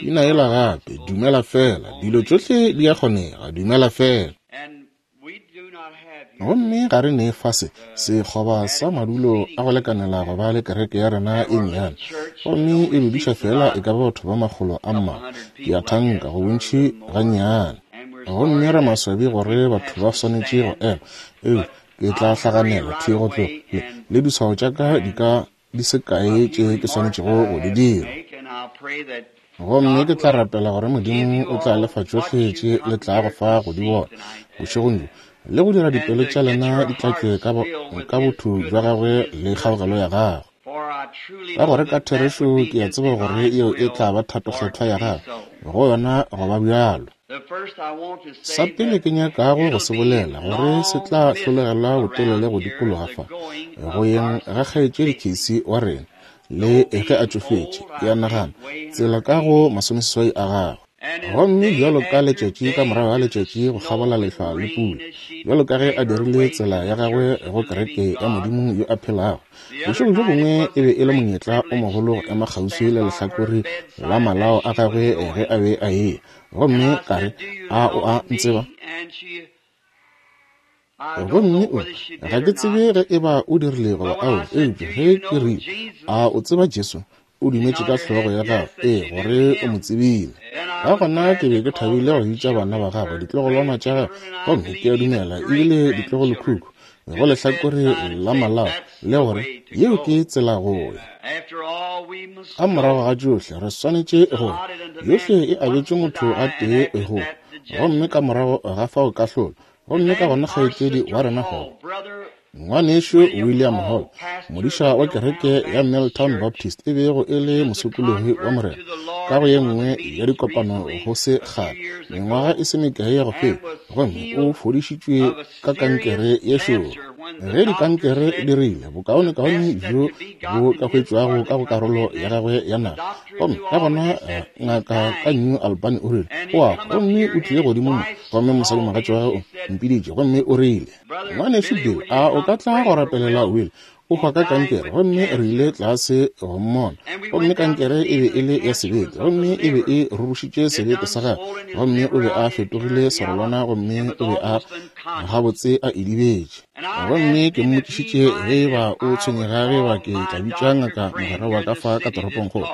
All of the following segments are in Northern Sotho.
Pina yela gape, Dumela Feela, dilo tšohle di a kgonega, dumela feela. Gomme ga re ne fa se, sekgoba sa madulo a go lekanela go ba le kereke ya rena e nnyane, gomme e dudiša feela e ka ba batho ba makgolo a mmalwa, ke a thanka, go bontši gannyane. Gomme re maswabi gore batho ba swanetše go ema, eupša ke tla hlaganela thwi go tloga, le, le diswao tša ka di ka di se kae tše ke swanetšego go di dira. Gomme ke tla rapela gore Modimo o tla lefa tšohle tše le tlago fa go di bona bošegong bjo, le go dira dipelo tša lena di tlatšwe ka, ka botho bja gagwe le kgaogelo ya gagwe. Ka gore ka therešo ke a tseba gore yeo e tla ba thato kgethwa ya gagwe go yona go ba bjalo. Sa pele ke nyakago go se bolela, gore se tla hlolegela botelele go dikologa fa, go yeng ga Kgaetšedi Casey wa rena, le ge a tšofetše, ke a nagana, tsela ka go masomeseswai a gagwe. Gomme bjalo ka letšatši ka morago ga letšatši go kgabola lehlwa le pula, bjalo ka ge a dirile tsela ya gagwe go kereke ya Modimo yo a phelago, Bošego bjo bongwe e be e le monyetla o mogolo go ema kgauswi le lehlakore la malao a gagwe ge a be a eya, gomme ka re, A o a ntseba? Gomme o, ga ke tsebe ge e ba o dirile goba ao, eupša ge ke rile, A o tseba Jesu? O dumetše ka hlogo ya gagwe, ee, gore o mo tsebile. Ka gona ke be ke thabile go bitša bana ba gagwe ditlogolwana tša gagwe, gomme ke a dumela e bile ditlogolokhukhu, go lehlakore la malao, le gore yeo ke tsela go ya. Ka morago ga tšohle re swanetše go ya. Yohle e abetšwe motho a tee go, gomme ka morago ga fao kahlolo, gomme ka gona kgaetšedi wa rena Hall, Ngwanešu William Hall, modiša wa kereke ya Milltown Baptist e bego e le mosokologi wa Morena, ka go ye nngwe ya dikopano go se kgale, mengwaga e se mekae ya go feta, gomme o fodišitšwe ka kankere ye šoro. Ge dikankere di rile, bokaonekaone bjo bo ka hwetšwago ka go karolo ya gagwe ya naga. Gomme ka gona eh, ngaka ka New Albany o rile, o a hwa, gomme o tlile godimo mo, gomme mosadimogatša wa gagwe o mpiditše, gomme o rile, Ngwanešu Bill, a o ka tla go rapelela Will? O hwa ka kankere. Gomme re ile tlase go mmona. Gomme kankere e be e le ya sebete, gomme e be e rurušitše sebete sa gagwe. Gomme o be a fetogile serolwana, gomme o be a gabotse a idibetše. Gomme ke mmotšišitše ge e ba o tshwenyega ge ba ke tla bitša ngaka mogwera wa ka fa ka toropongkgolo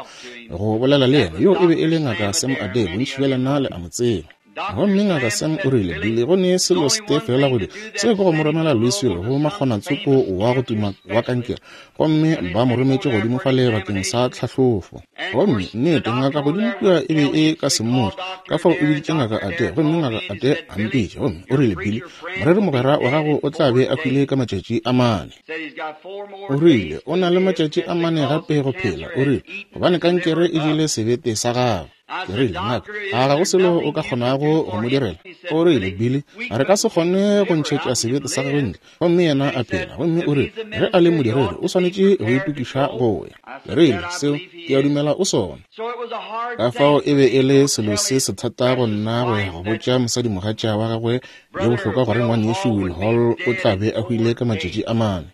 go bolela le yena. Yo e be e le Ngaka Sam Adair, bontši bja lena le a mo tseba. Gomme Ngaka Sam o rile, Billy, go ne selo setee feela go dira, seo ke go mo romela Louisville go makgonatsoko wa go tuma wa kankere. Gomme ba mo rometše godimo fale bakeng sa tlhahlofo. Gomme, nnete, ngaka godimo kua e be e ka se mmotše, ka fao o biditše Ngaka Adair, gomme Ngaka Adair a mpitša. Gomme o rile, Billy, moreri mogwera wa gago o tla be a hwile ka matšatši a mane. O rile, O na le matšatši a mane gape go phela, o rile, gobane kankere e jele sebete sa gagwe. Ke rile, Ngaka, a ga go selo o ka kgonago go mo direla? O rile, Billy, re ka se kgone go ntšhetša sebete sa gagwe ntle, gomme yena a phela. Gomme o rile, Ge a le modiredi, o swanetše go itokiša go ya. Ke rile, Seo, ke a dumela o sona. Ka fao e be e le selo se sethata go nna go ya go botša mosadimogatša wa gagwe yo bohlokwa gore Ngwanešu Will Hall o tla be a hwile ka matšatši a mane.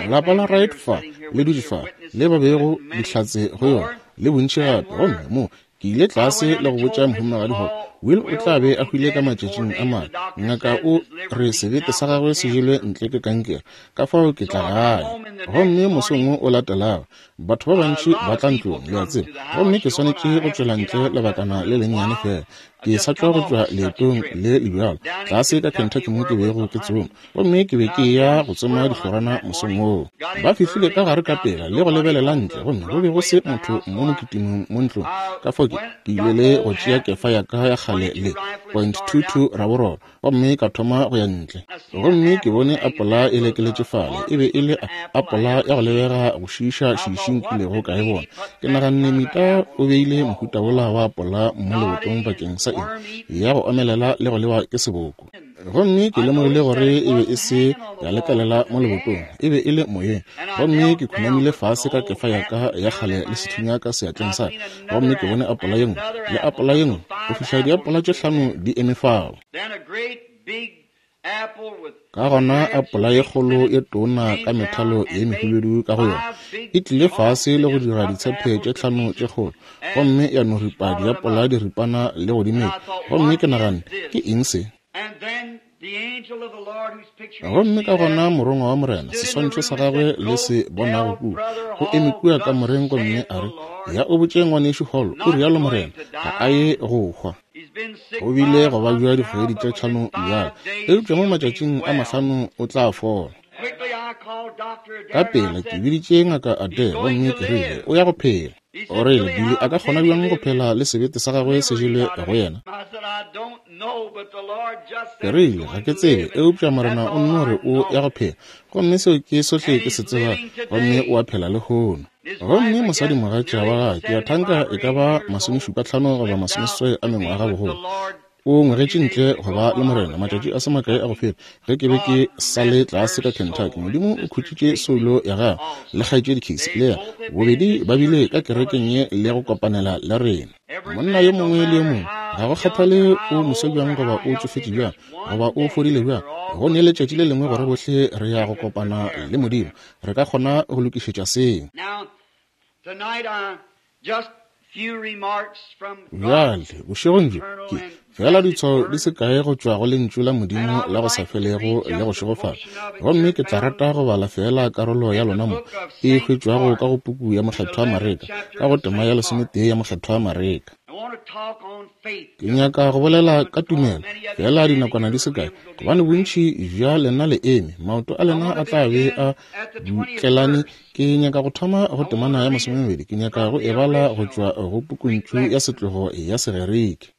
Lapa la Wright fa, le dutše fa, le ba bego dihlatse go yona, le bontši gape. Gomme mo ke ile tlase le go botša mohumagadi gore Will o tla be a hwile ka matšatšing a mane. Ngaka o re sebete sa gagwe se jelwe ntle ke kankere, ka fao ke tla gae. Gomme mosong wo o latelago, batho ba bantši ba tla ntlong, le a tseba, gomme ke swanetše go tšwela ntle lebakana le lennyane feela. Ke sa tšwa go tšwa leetong le le bjalo, tlase ka Kentucky mo ke bego ke tsoma. Gomme ke be ke eya go tsoma dihlorana mosong woo. Ba fihlile ka gare ka pela le go lebelela ntle, gomme go be go se motho mo mokitimong mo ntlong. Ka fao ke, ke ile le go tšea kefa ya ka ya kgale le point 22 raboroba, gomme ka thoma go ya ntle. Gomme ke bone apola e lekeletše fale, e be e le a, apola ya go lebega go šiiša šiiši nkilego ka e bona. Ke naganne, Mita o beile mohuta wola wa apola mo lebotong bakeng sa eng? Ya go omelela le go lewa ke seboko. Gomme ke lemogile gore e be e se ya lekelela mo lebotong, e be e le moyeng. Gomme ke khunamile fase ka kefa ya ka ya kgale le sethunya ka seatleng sa ka, gomme ke bone apola ye nngwe le apola ye nngwe, go fihla diapola tše hlano di eme fao. Ka gona apola ye kgolo ye tona ka methalo ye mehubedu ka go yona e tlile fase le go dira ditshepe tše tlhano tše kgolo, gomme ya no ripa diapola diripana le go di metša. Gomme ke naganne, Ke eng se? Gomme ka gona Morongwa wa Morena, seswantšho sa Gagwe le se bonago kua, o eme kua kamoreng gomme a re, Ya o botše Ngwanešu Hall, o rialo Morena, ga a ye go hwa. O bile go babja dikgwedi tše tlhano bjale, eupša mo matšatšing a mahlano o tla fola. Ka pela ke biditše Ngaka Adair gomme ke rile, O ya go phela. O rile, Billy a ka kgona bjang go phela le sebete sa gagwe se jelwe go yena? Ke rile, Ga ke tsebe, eupša Morena o nno re o ya go phela, gomme seo ke sohle ke se tsebago, gomme o a phela lehono. Gomme mosadimogatša wa gagwe, ke a thanka e ka ba masomešupatlhano goba masomeseswai a mengwaga bogolo, o ngwegetše ntle go ba le Morena matšatši a se makae a go feta ge ke be ke sa le tlase ka Kentucky. Modimo o khutšitše soulo ya gagwe le kgaetšedi Casey le yena, bobedi ba bile ka kerekeng ye le go kopanela le rena. Monna yo mongwe le yo mongwe, ga go kgathale o moswa bjang goba o tšofetše bjang goba o fodile bjang, go ne letšatši le lengwe gore bohle re ya go kopana le Modimo. Re ka kgona go lokišetša seo. Bjale, bošegong bjo, ke, feela ditshwao di se kae go tšwa go Lentšu la Modimo la go sa felego le go šegofala. Gomme ke tla rata go bala feela karolo ya lona mo, e hwetšwago ka go puku ya Mokgethwa Mareka, ka go tema ya lesometee ya Mokgethwa Mareka. Ke nyaka go bolela ka tumelo, feela dinakwana di se kae, gobane bontši bja lena le eme, maoto a lena a tla be a dutlelane. Ke nyaka go thoma go temana ya masomemabedi, ke nyaka go e bala go tšwa go pukuntšu ya setlogo ya Segerike.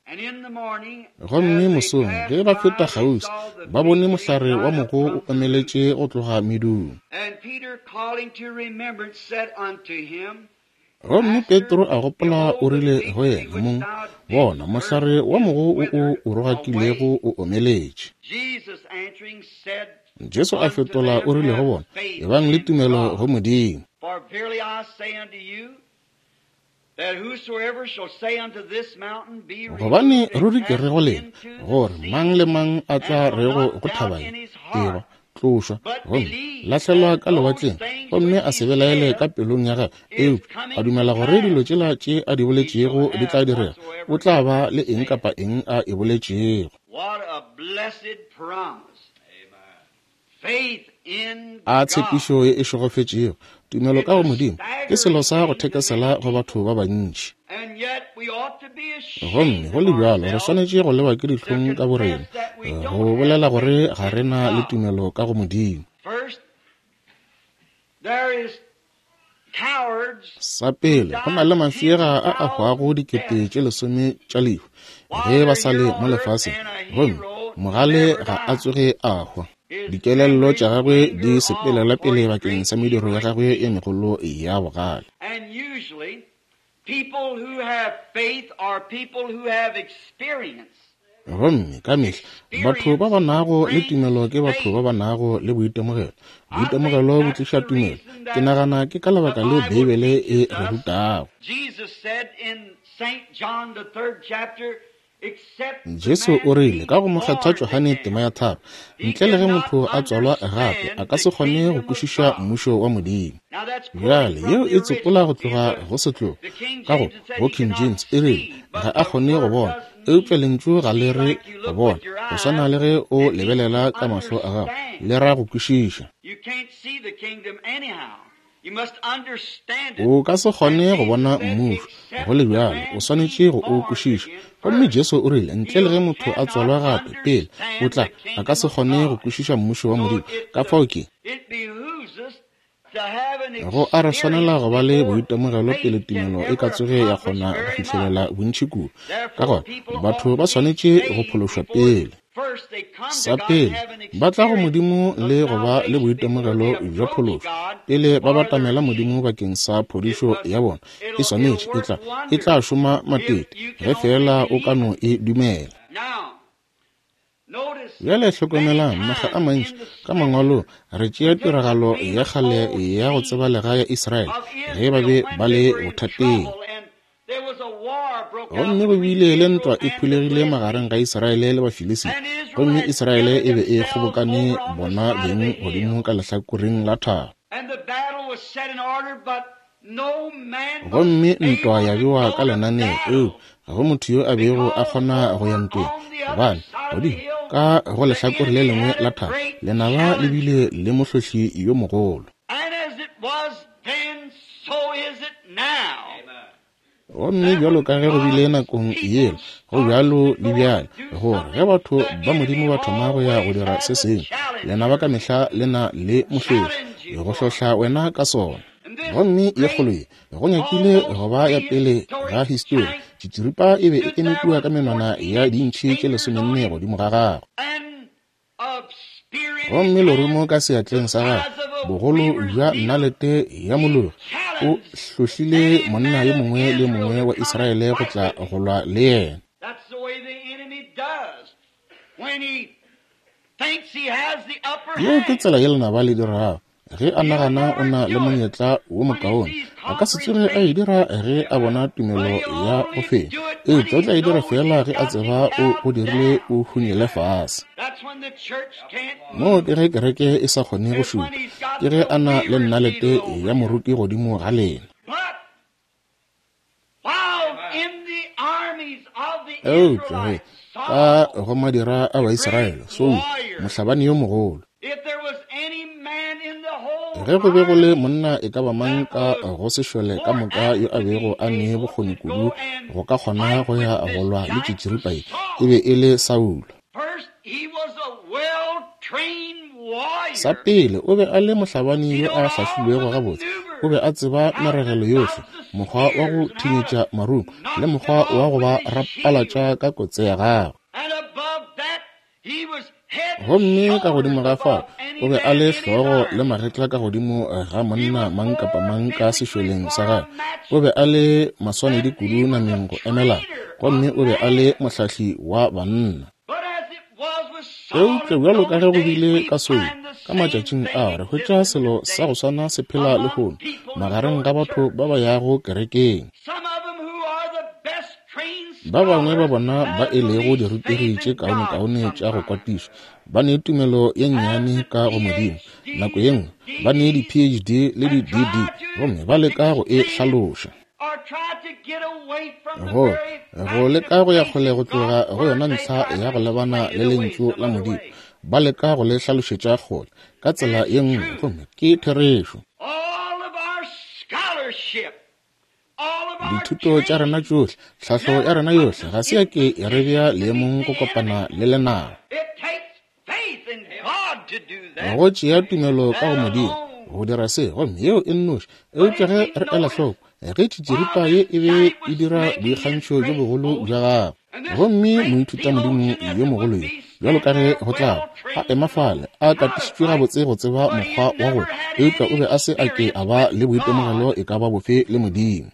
Gomme mosong ge ba feta kgauswi, ba bone mohlare wa mogo o omeletše go tloga medung. Gomme Petro a gopola o rile go yena, Mong, bona, mohlare wa mogo wo o o rogakilego o omeletše. Jesu a fetola o rile go bona, Ebang le tumelo go Modimo. Gobane ruri ke re go lena, gore mang le mang a tla rego go thaba ye, Eba, tlošwa gomme lahlelwa ka lewatleng, gomme a se belaele ka pelong ya gagwe, eupša a dumela gore dilo tšela tše a di boletšego di tla direga, o tla ba le eng kapa eng a e boletšego. A tshepišo ye e šegofetšego! Tumelo ka go Modimo ke selo sa go thekesela go batho ba bantši. Gomme go le bjalo re swanetše go lewa ke dihlong ka borena go bolela gore ga re na le tumelo ka go Modimo. Sa pele, go na le mafšega a a hwago dikete tše lesome tša lehu ge ba sa le mo lefaseng, gomme mogale ga a tsoge a hwa. Dikelello tša gagwe di sepelela pele bakeng sa mediro ya gagwe ye megolo ya bogale. Gomme ka mehla batho ba ba nago le tumelo ke batho ba ba nago le boitemogelo. Boitemogelo bo tliša tumelo. Ke nagana ke ka lebaka leo Beibele e re rutago. Jesu o rile ka go Mokgethwa Johane tema ya tharo, ntle le ge motho a tswalwa gape, a ka se kgone go kwešiša Mmušo wa Modimo. Bjale, yeo e tsopola go tloga go setlogo. Ka go, go King James, e rile, ga a kgone go bona. Eupša lentšu ga le re go bona, go swana le ge o lebelela ka mahlo a gago, le ra go kwešiša. O ka se kgone go bona mmušo, go le bjalo, o swanetše go o kwešiša. Gomme Jesu o rile, ntle le ge motho a tswalwa gape, pele, o tla, a ka se kgone go kwešiša mmušo wa Modimo. Ka fao ke. Go a re swanela go ba le boitemogelo pele tumelo e ka tsoge ya kgona go fihlelela bontši kudu. Ka gona, batho ba swanetše go phološwa pele. Sa pele, ba tla go Modimo le go ba le boitemogelo bja phološo. Pele ba batamela Modimo bakeng sa phodišo ya bona, e swanetše, e tla, e tla šoma matete, ge feela o ka no e dumela. Bjale hlokomelang, makga a mantši ka Mangwalong re tšea tiragalo ya kgale ya go tsebalega ya Israele ge ba be ba le bothateng. Gomme go bile le ntwa e phulegile magareng ga Israele le Bafilisita, gomme Israele e be e kgobokane bona beng godimo ka lehlakoreng la thaba. Gomme ntwa ya bewa ka lenaneo, eupša ga go motho yo a bego a kgona go ya ntweng, gobane godimo ka go lehlakore le lengwe la thaba lenaba le bile le mohlohli yo mogolo. Gomme bjalo ka ge go bile nakong yela, go bjalo le bjale, gore ge batho ba Modimo ba thoma go ya go dira se sengwe, lenaba ka mehla le na le mohlohli go hlohla wena ka sona. Gomme ye kgolo ye, go nyakile go ba ya pele ga histori, tšitširipa e be e eme kua ka menwana ya diintšhi tše 14 godimo ga gagwe. Gomme lerumo ka seatleng sa gagwe, bogolo bja nnalete ya mologi, o hlohlile monna yo mongwe le yo mongwe wa Israele go tla go lwa le yena. Yeo ke tsela ye lenaba le dirago. Ge a nagana o na le monyetla wo mokaone, a ka se tsoge a e dira ge a bona tumelo ya go fenya, eupša o tla e dira feela ge a tseba o go dirile o hunyele fase. Moo ke ge kereke e sa kgone go šupa, ke ge a na le nnalete ya moruti godimo ga lena. Eupša ge ka go madira a Baisraele, Saul, mohlabani yo mogolo, ge go be go le monna e ka ba mang ka go sešole ka moka yo a bego a ne bokgoni kudu go ka kgona go ya go lwa le tšitširipa ye, e be e le Saulo. Sa pele, o be a le mohlabani yo a hlahlilwego gabotse. O be a tseba meregelo yohle, mokgwa wa go thinyetša marumo le mokgwa wa go ba rapalatša ka kotse ya gagwe. Gomme ka godimo ga fao, o be a le hlogo le magetla ka godimo ga monna mang kapa mang ka sešoleng sa gagwe. O be a le maswanedi kudu nameng go emelana, gomme o be a le mohlahli wa banna. Eupša bjalo ka ge go bile ka Saul ka matšatšing a, re hwetša selo sa go swana se phela lehono magareng ga batho ba ba yago kerekeng. Ba bangwe ba bona ba e lego dirutegi tše kaonekaone tša go kwatišwa ba ne tumelo ye nnyane ka go Modimo, nako ye nngwe ba ne di-PhD le di-DD, gomme ba leka go e hlaloša. Go leka go ya kgole go tloga go yona ntlha ya go lebana le lentšu la Modimo, ba leka go le hlalošetša kgole ka tsela ye nngwe, gomme ke therešo. Dithuto tša rena tšohle, tlhahlo ya rena yohle, ga se ya ke ya re bea leemong go kopana le lenaba. Go tšea tumelo ka go Modimo go dira se, gomme yeo e nnoši. Eupša ge re ela hloko, ge tšitširipa ye e be e dira boikgantšho bjo bogolo bja gagwe, gomme moithutamodimo yo mogolo yo, bjalo ka ge go tla a ema fale a katišitšwe gabotse go tseba mokgwa wa go, eupša o be a se a ke a ba le boitemogelo e ka ba bofe le Modimo.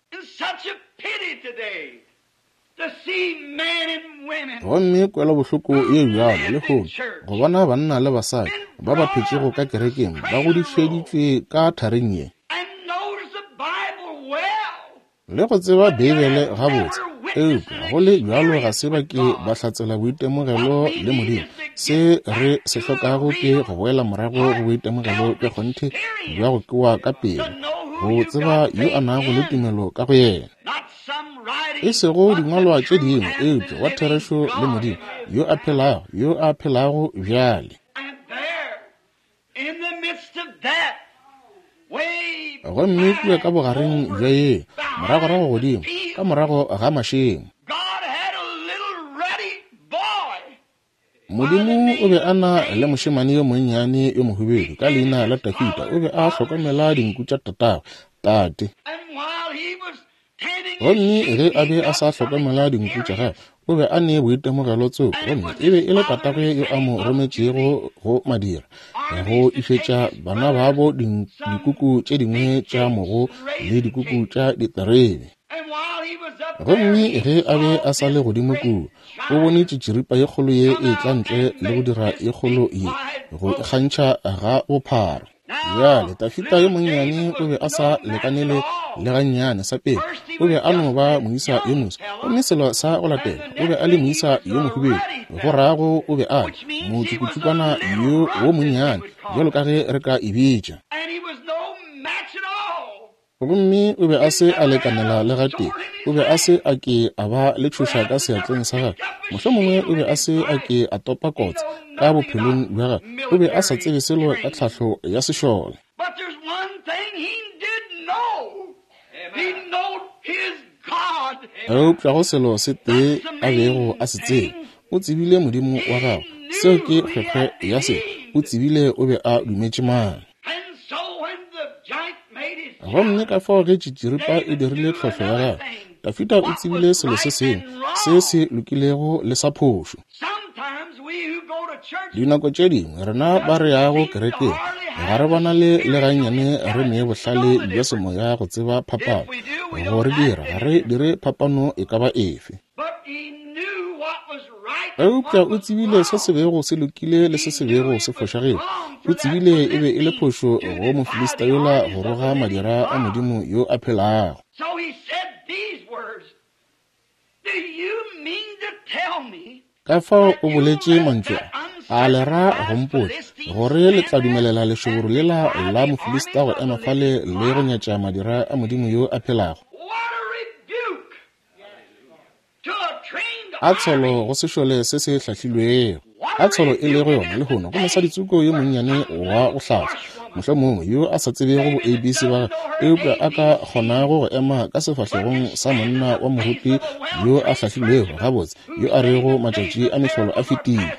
Gomme kwelobohloko ye bjalo lehono go bona banna le basadi ba ba phetšego ka kerekeng ba godišeditšwe ka thareng ye le go tseba Beibele gabotse, eupša go le bjalo ga se ba ke ba hlatsela boitemogelo le Modimo. Se re se hlokago ke go boela morago go boitemogelo bja kgonthe bja go kewa ka pelo, go tseba yo a nago le tumelo ka go yena, e sego dingwalwa tše dingwe, eupša wa therešo le Modimo yo a phelago, yo a phelago bjale. Gomme kua ka bogareng bja ye, moragorago godimo, ka morago ga mašemo, Modimo o be a na le mošemane yo monnyane yo mohubedu ka leina la Dafida. O be a hlokomela dinku tša tatagwe, tate. Gomme ge a be a sa hlokomela dinku tša gagwe, o be a ne boitemogelo tsoko, gomme e be e le tatagwe yo a mo rometšego go madira go išetša bana babo dikuku tše dingwe tša mogo le dikuku tša diterebe. Gomme ge a be a sa le godimo kua, o bone tšitširipa ye kgolo ye e tla ntle le go dira ye kgolo ye go ikgantšha ga bophara. Bjale Dafida yo monnyane o be a sa lekanele le gannyane. Sa pele, O be a no ba moisa yo moswa. Gomme selo sa go latela, o be a le moisa yo mohubedu, go rago o be a le motšukutšukwana yo wo monnyane, bjalo ka ge re ka e bitša. Gomme o be a se a lekanela le gatee. O be a se a ke a ba le tšhoša ka seatleng sa gagwe. Mohlomongwe o be a se a ke a topa kotse ka bophelong bja gagwe. O be a sa tsebe selo ka tlhahlo ya sešole. Eupša go selo se tee a bego a se tseba, o tsebile Modimo wa gagwe. Seo ke kgwekgwe ya se. O tsebile o be a dumetše mang. Gomme ka fao ge tšitširipa e dirile tlhohlo ya gagwe, Dafida o tsebile selo se sengwe se se lokilego le sa phošo. Dinako tše dingwe rena ba re yago kerekeng ga re bonale le gannyane re ne bohlale bja semoya go tseba phapano. Go re dira ga re dire phapano e ka ba efe. Eupša o tsebile se se bego se lokile le se se bego se fošagetše. O tsebile e be e le phošo go Mofilista yola go roga madira a Modimo yo a phelago. Ka fao o boletše mantšu a, a le ra go mpotša gore le tla dumelela lešoboro lela la Mofilista go ema fale le go nyatša madira a Modimo yo a phelago? A tsholo go sešole se se hlahlilwego. A tsholo e lego yona lehono go mosaditsoko yo monnyane wa go hlatswa, mohlomongwe yo a sa tsebego bo ABC ba gagwe, eupša a ka kgonago go ema ka sefahlegong sa monna wa moruti yo a hlahlilwego gabotse, yo a rego matšatši a mehlolo a fetile.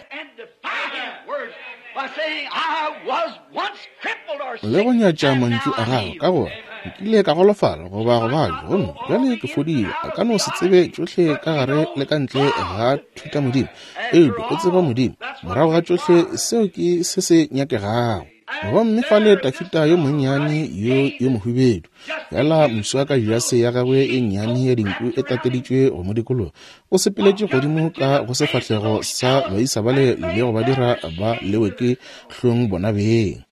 Le go nyatša mantšu a gagwe ka gore nkile ka golofala goba go babja gomme bjale ke fodile. A ka no se tsebe tšohle ka gare le ka ntle ga thutamodimo, eupša o tseba Modimo. Morago ga tšohle, seo ke se se nyakegago. Gomme fale Dafida yo monnyane yo yo mohubedu, fela moswa ka jase ya gagwe e nnyane ya dinku e tateditšwe go mo dikologa, o sepeletše godimo ka go sefahlego sa baisa bale le go ba dira ba lewe ke hlong bona beng.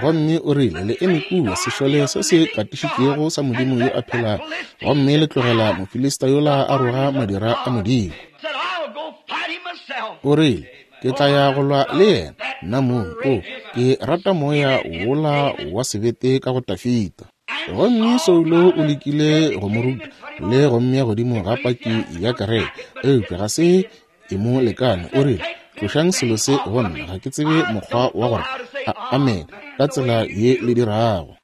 Gomme o rile, Le eme kua, sešole se se katišitšwego sa Modimo yo a phelago, gomme le tlogela Mofilista yola a roga madira a Modimo. O rile, Ke tla ya go lwa le yena, nna mong. O, ke rata moya wola wa sebete ka go Dafida. Gomme Saulo o lekile go mo ruta le go mmea godimo ga paki ya kereke, eupša ga se e mo lekane. O rile, Tlošang selo se go nna, ga ke tsebe mokgwa wa gore a amen ka tsela ye le dirago.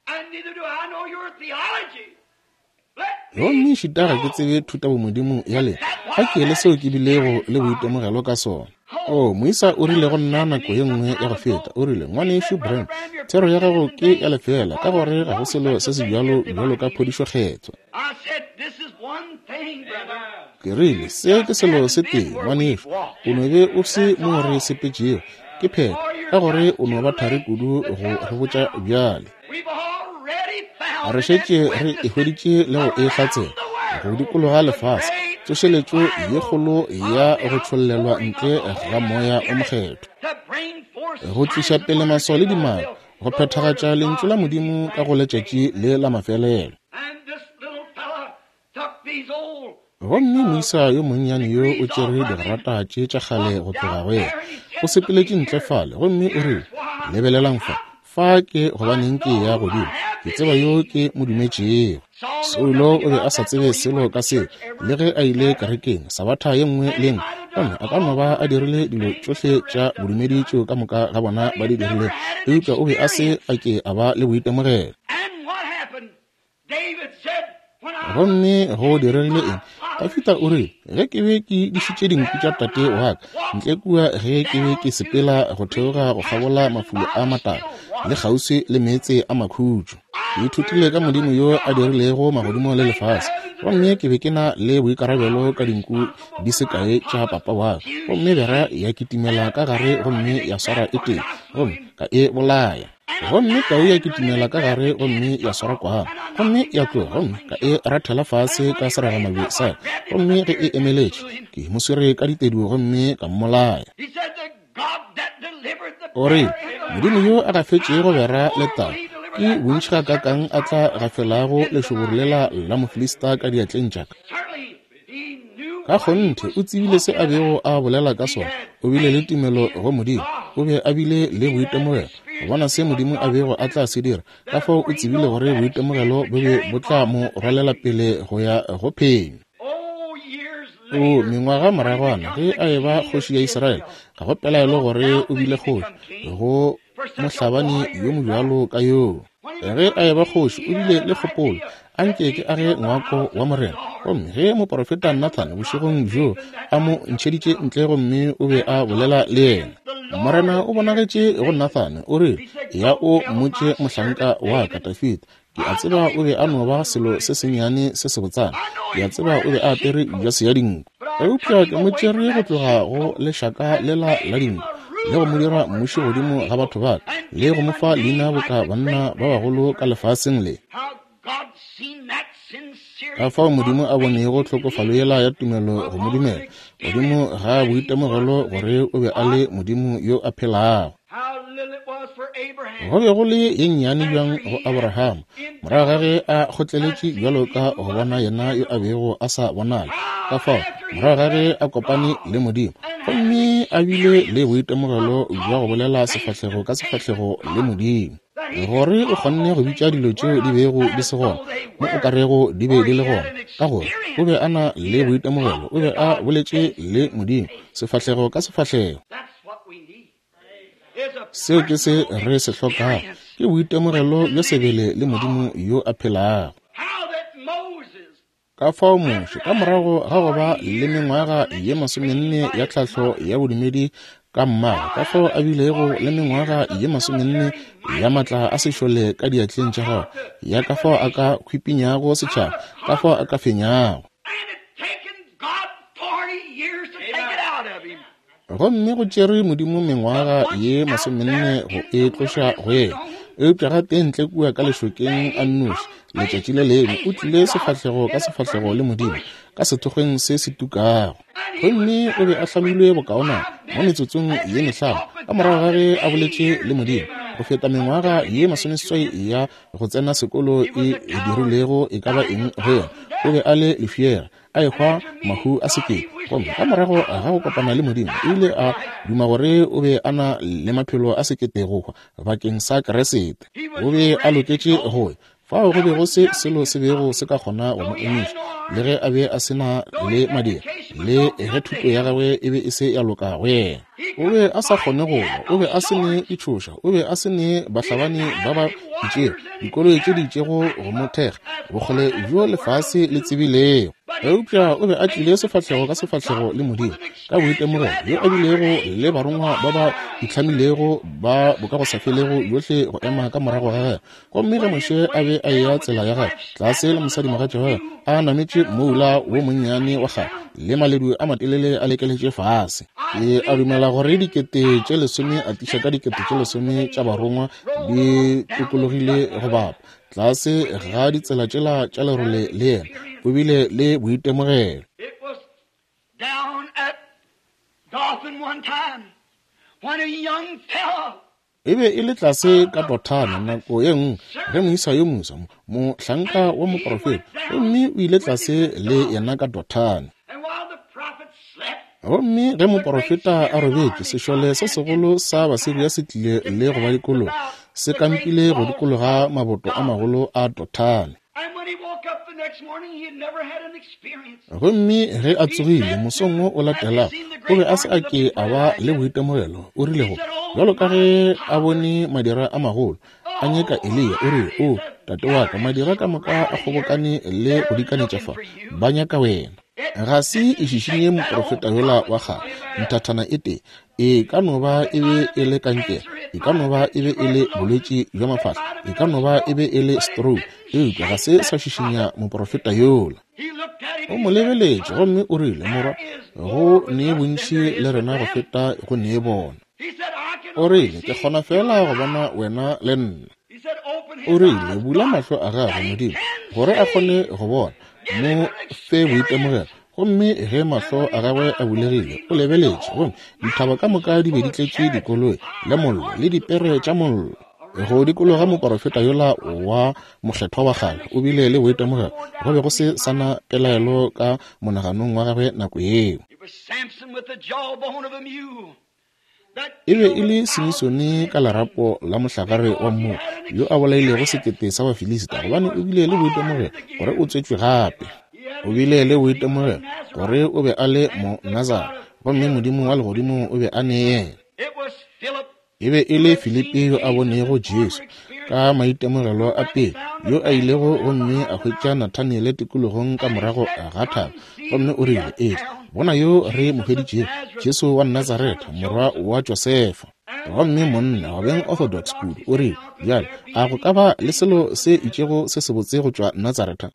Gomme šita ga ke tsebe thutabomodimo ya lena, ga ke ele seo ke bilego le boitemogelo ka sona. O, moisa o rile go nna nako ye nngwe ya go feta, o rile, Ngwanešu Branham, thero ya gago ke ya lefeela, ka gore ga go selo se se bjalo bjalo ka phodišo Kgethwa. Ke rile, Se ke selo se tee, ngwanešu, o no be o se mo re sepetšego, ke phetho, ka gore o no ba thari kudu go re botša bjale. Re šetše re e hweditše le go e hlatsela go dikologa lefase, tsošeletšo ye kgolo ya go tšhollelwa ntle ga Moya o Mokgethwa, go tliša pele maswao le dimaka, go phethagatša Lentšu la Modimo ka go letšatši le la mafelelo. Gomme moisa yo monnyane yo o tšere digrata tše tša kgale go tloga go yena, o sepeletše ntle fale, gomme o rile, Lebelelang fa, fa ke gobaneng ke ya godimo, ke tseba yo ke mo dumetšego. Saulo o be a sa tsebe selo ka seo, le ge a ile kerekeng sabatha ye nngwe le nngwe, gomme a ka no ba a dirile dilo tšohle tša bodumedi tšeo ka moka ga bona ba di dirilego, eupša o be a se a ke a ba le boitemogelo. Gomme go diregile eng? Dafida o rile, Ge ke be ke dišitše dinku tša tate wa ka ntle kua, ge ke be ke sepela go theoga go kgabola mafulo a matala le kgauswi le meetse a makhutšo, ke ithutile ka Modimo yo a dirilego magodimo le lefase, gomme ke be ke na le boikarabelo ka dinku di se kae tša papa wa ka, gomme bera ya kitimela ka gare gomme ya swara e tee, gomme ka e bolaya. Gomme tau ya kitimela ka gare gomme ya swara kwana, gomme ya tloga, gomme ka e rathela fase ka seragamabje sa ka, gomme ge e emeletše, ke mo swere ka ditedu gomme ka mmolaya. O rile, Modimo yo a gafetšego bera le tau, Ke bontši gakaakang a tla gafelago lešoboro lela la Mofilista ka diatleng tša ka? Ka kgonthe o tsebile se a bego a bolela ka sona. O bile le tumelo go Modimo. O be a bile le boitemogelo go bona se Modimo a bego a tla se dira. Ka fao o tsebile gore boitemogelo bo be bo tla mo rwalela pele go ya go phenyo. O mengwaga moragwana ge a eba kgoši ya Israele, ga go pelaelo gore o bile kgoši go mohlabani yo mobjalo ka yoo. Ge a eba kgoši o bile le kgopolo, a nke ke age ngwako wa Morena. Gomme ge moporofeta Nathan bošegong bjoo a mo ntšheditše ntle gomme o be a bolela le yena, Morena o bonagetše go Nathan, o rile, Ya o mmotše mohlanka wa ka Dafida, Ke a tseba o be a no ba selo se sennyane se sebotsana. Ke a tseba o be a apere jase ya dinku. Eupša ke mo tšere go tloga go lešaka lela la dinku, le go mo dira mmuši godimo ga batho ba ka, le go mo fa leina boka banna ba bagolo ka lefaseng le. Ka fao Modimo a bonego tlhokofalo yela ya tumelo go mo dumela, godimo ga boitemogelo gore o be a le Modimo yo a phelago. Go be go le ye nnyane bjang go Abraham, morago ga ge a kgotleletše bjalo ka go bona yena yo a bego a sa bonale. Ka fao, morago ga ge a kopane le Modimo, gomme a bile le boitemogelo bja go bolela sefahlego ka sefahlego le Modimo, gore o kgonne go bitša dilo tšeo di bego di se gona mo o ka rego di be di le gona, ka gore o be a na le boitemogelo, o be a boletše le Modimo sefahlego ka sefahlego. Seo ke se re se hlokago, ke boitemogelo bja sebele le Modimo yo a phelago. Ka fao Moshe, ka morago ga go ba le mengwaga ye masomenne ya tlhahlo ya bodumedi ka mmagwe, ka fao a bilego le mengwaga ye masomenne ya matla a sešole ka diatleng tša gagwe, ya ka fao a ka hwipinyago setšhaba, ka fao a ka fenyago. Gomme go tšere Modimo mengwaga ye masomenne go e tloša go yena. Eupša gape ntle kua ka lešokeng a nnoši, letšatši le lengwe o tlile sefahlego ka sefahlego le Modimo, ka sethokgweng se se tukago. Gomme o be a hlamilwe bokaonana mo metsotsong ye mehlano ka morago ga ge a boletše le Modimo, go feta mengwaga ye masomeseswai ya go tsena sekolo e dirilego e ka ba eng go yena. O be a le lefšega, a ehwa mahu a sekete. Gomme ka morago ga go kopana le Modimo, o ile a duma gore o be a na le maphelo a sekete go hwa bakeng sa Keresete. O be a loketše go ya fao go be go se selo se bego se ka kgona go mo emiša, le ge a be a se na le madira, le ge thuto ya gagwe e be e se ya loka go yena. O be a sa kgone go lwa, o be a se ne ditšhoša, o be a se ne bahlabani ba ba itšego, dikoloi tše di itšego go mo thekga, bokgole bjo lefase le tsebilego. Eupša o be a tlile sefahlego ka sefahlego le Modimo, ka boitemogelo bjo a bilego le barongwa ba ba itlhamilego ba bokagosafelego bjohle go ema ka morago ga gagwe. Gomme ge Moshe a be a eya tsela ya gagwe tlase le mosadimogatša wa gagwe a nametše moula wo monnyane wa kgale le maledu a matelele a lekeletše fase, ke a dumela gore dikete tše lesome a tiša ka dikete tše lesome tša barongwa di tokologile go bapa tlase ga ditsela tšela tša lerole le yena o bile le boitemogelo. Down at Dothan one time, when a young fellow E be e le tlase ka Dothane nako ye nngwe ge moisa yo moswa, mohlanka wa moprofeta, gomme o ile tlase le yena ka Dothane. Gomme ge moprofeta a robetše, sešole se segolo sa Basiria se tlile le go ba dikologa, se kampile go dikologa maboto a magolo a Dothane. Gomme ge a tsogile mosong wo o latelago, o be a se a ke a ba le boitemogelo. O rile go, bjalo ka ge a bone madira a magolo a nyeka Eliya, o rile, O tate wa ka, madira ka moka a kgobokane le go dikanetša fa, ba nyaka wena. Ga se e šišinye moprofeta yola wa kgale nthathana e tee. E ka no ba e be e le kankere, e ka no ba e be e le bolwetši bja mafahla, e ka no ba e be e le stroke, eupša ga se sa šišinya moprofeta yola. O mo lebeletše gomme o rile, Morwa, go ne bontši le rena go feta go ne bona. O rile, Ke kgona feela go bona wena le nna. O rile, Bula mahlo a gagwe, Modimo, gore a kgone go bona. Mo fe boitemogelo. Gomme ge mahlo a gagwe a bulegile, o lebeletše, gomme dithaba ka moka di be di tletše dikoloi le mollo le dipere tša mollo. Go dikologa moporofeta yola wa mokgethwa wa kgale, o bile le boitemogelo. Go be go se sa na pelaelo ka monaganong wa gagwe nako yeo. E be e le Simisone ka lerapo la mohlagare wa mmu, yo a bolailego 1000 sa Bafilisita, gobane o bile le boitemogelo gore o tswetšwe gape. O bile le boitemogelo gore o be a le Monazara, gomme Modimo wa legodimo o be a ne yena. E be e le Filipi yo a bonego Jesu ka maitemogelo a pele, yo a ilego gomme a hwetša Nathaniele tikologong ka morago ga thaba, gomme o rile, Ee, bona yo re mo hweditšego, Jesu wa Nazaretha, morwa wa Josefa. Gomme monna, go beng orthodox kudu, o rile, Bjale, a go ka ba le selo se itšego se sebotse go tšwa Nazaretha?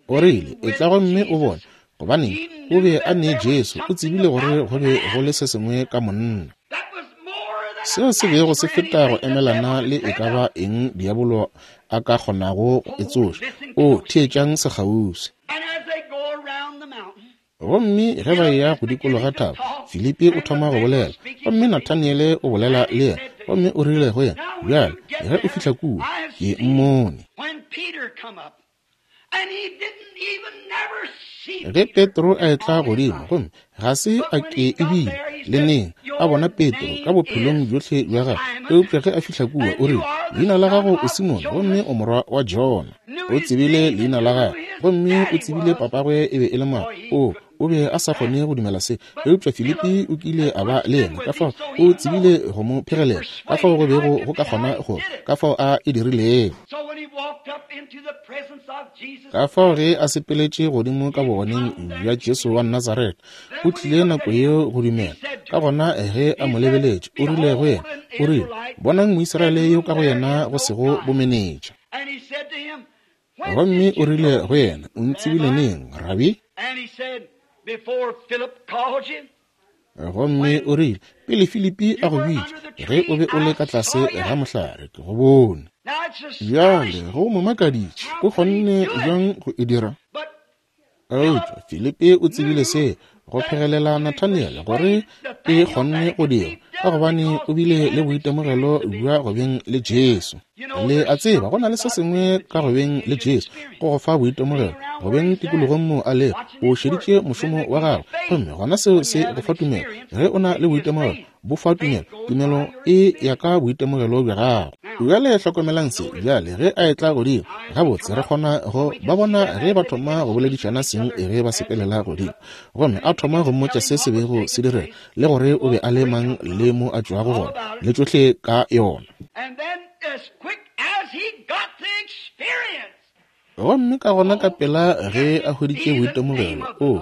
O rile, Etla gomme o bone. Gobane o be a ne Jesu, o tsebile gore go be go le se sengwe ka monna. Seo se bego se feta go emelana le e ka ba eng diabolo a ka kgonago go e tsoša. O theetšang sekgauswi. Gomme ge ba eya go dikologa thaba, Filipi o thoma go bolela, gomme Nathaniele o bolela le yena, gomme o rile go yena, Bjale, ge o fihla kua, ke mmone. Ge Petro a etla godimo, gomme ga se a ke ebile le neng a bona Petro ka bophelong bjohle bja gagwe, eupša ge a fihla kua, o rile, Leina la gago o Simone, gomme o morwa wa Jona. O tsebile leina la gagwe, gomme o tsebile papagwe e be e le mang. O, o be a sa kgone go dumela se, eupša Filipi o kile a ba le yena, ka fao o tsebile go mo phegelela, ka fao go bego go ka kgona go, ka fao a e dirilego. Ka fao ge a sepeletše godimo ka bogoneng bja Jesu wa Nazaretha, o tlile nako yeo go dumela. Ka gona ge a mo lebeletše, o rile go yena, o rile, Bonang Moisraele yo ka go yena go sego bomenetša. Gomme o rile go yena, O ntsebile neng, Rabi? Gomme o rile, Pele Filipi a go bitša, ge o be o le ka tlase ga mohlare, ke go bone. Bjale go mo makaditše, o kgonne bjang go e dira? Eupša Filipi o tsebile se go phegelela Nathaniele gore e kgonne go dira, ka gobane o bile le boitemogelo bja go beng le Jesu. Le a tseba, go na le se sengwe ka go beng le Jesu, go go fa boitemogelo, go beng tikologong moo a lego, o šeditše mošomo wa gagwe, gomme gona seo se go fa tumelo. Ge o na le boitemogelo, bo fa tumelo. Tumelo e ya ka boitemogelo bja gago. Bjale hlokomelang se, bjale ge a etla godimo, gabotse re kgona go ba bona ge ba thoma go boledišana seng ge ba sepelela godimo. Gomme a thoma go mmotša se se bego se direga, le gore o be a le mang le mo a tšwago gona, le tšohle ka yona. Gomme ka gona ka pela ge a hweditše boitemogelo, o,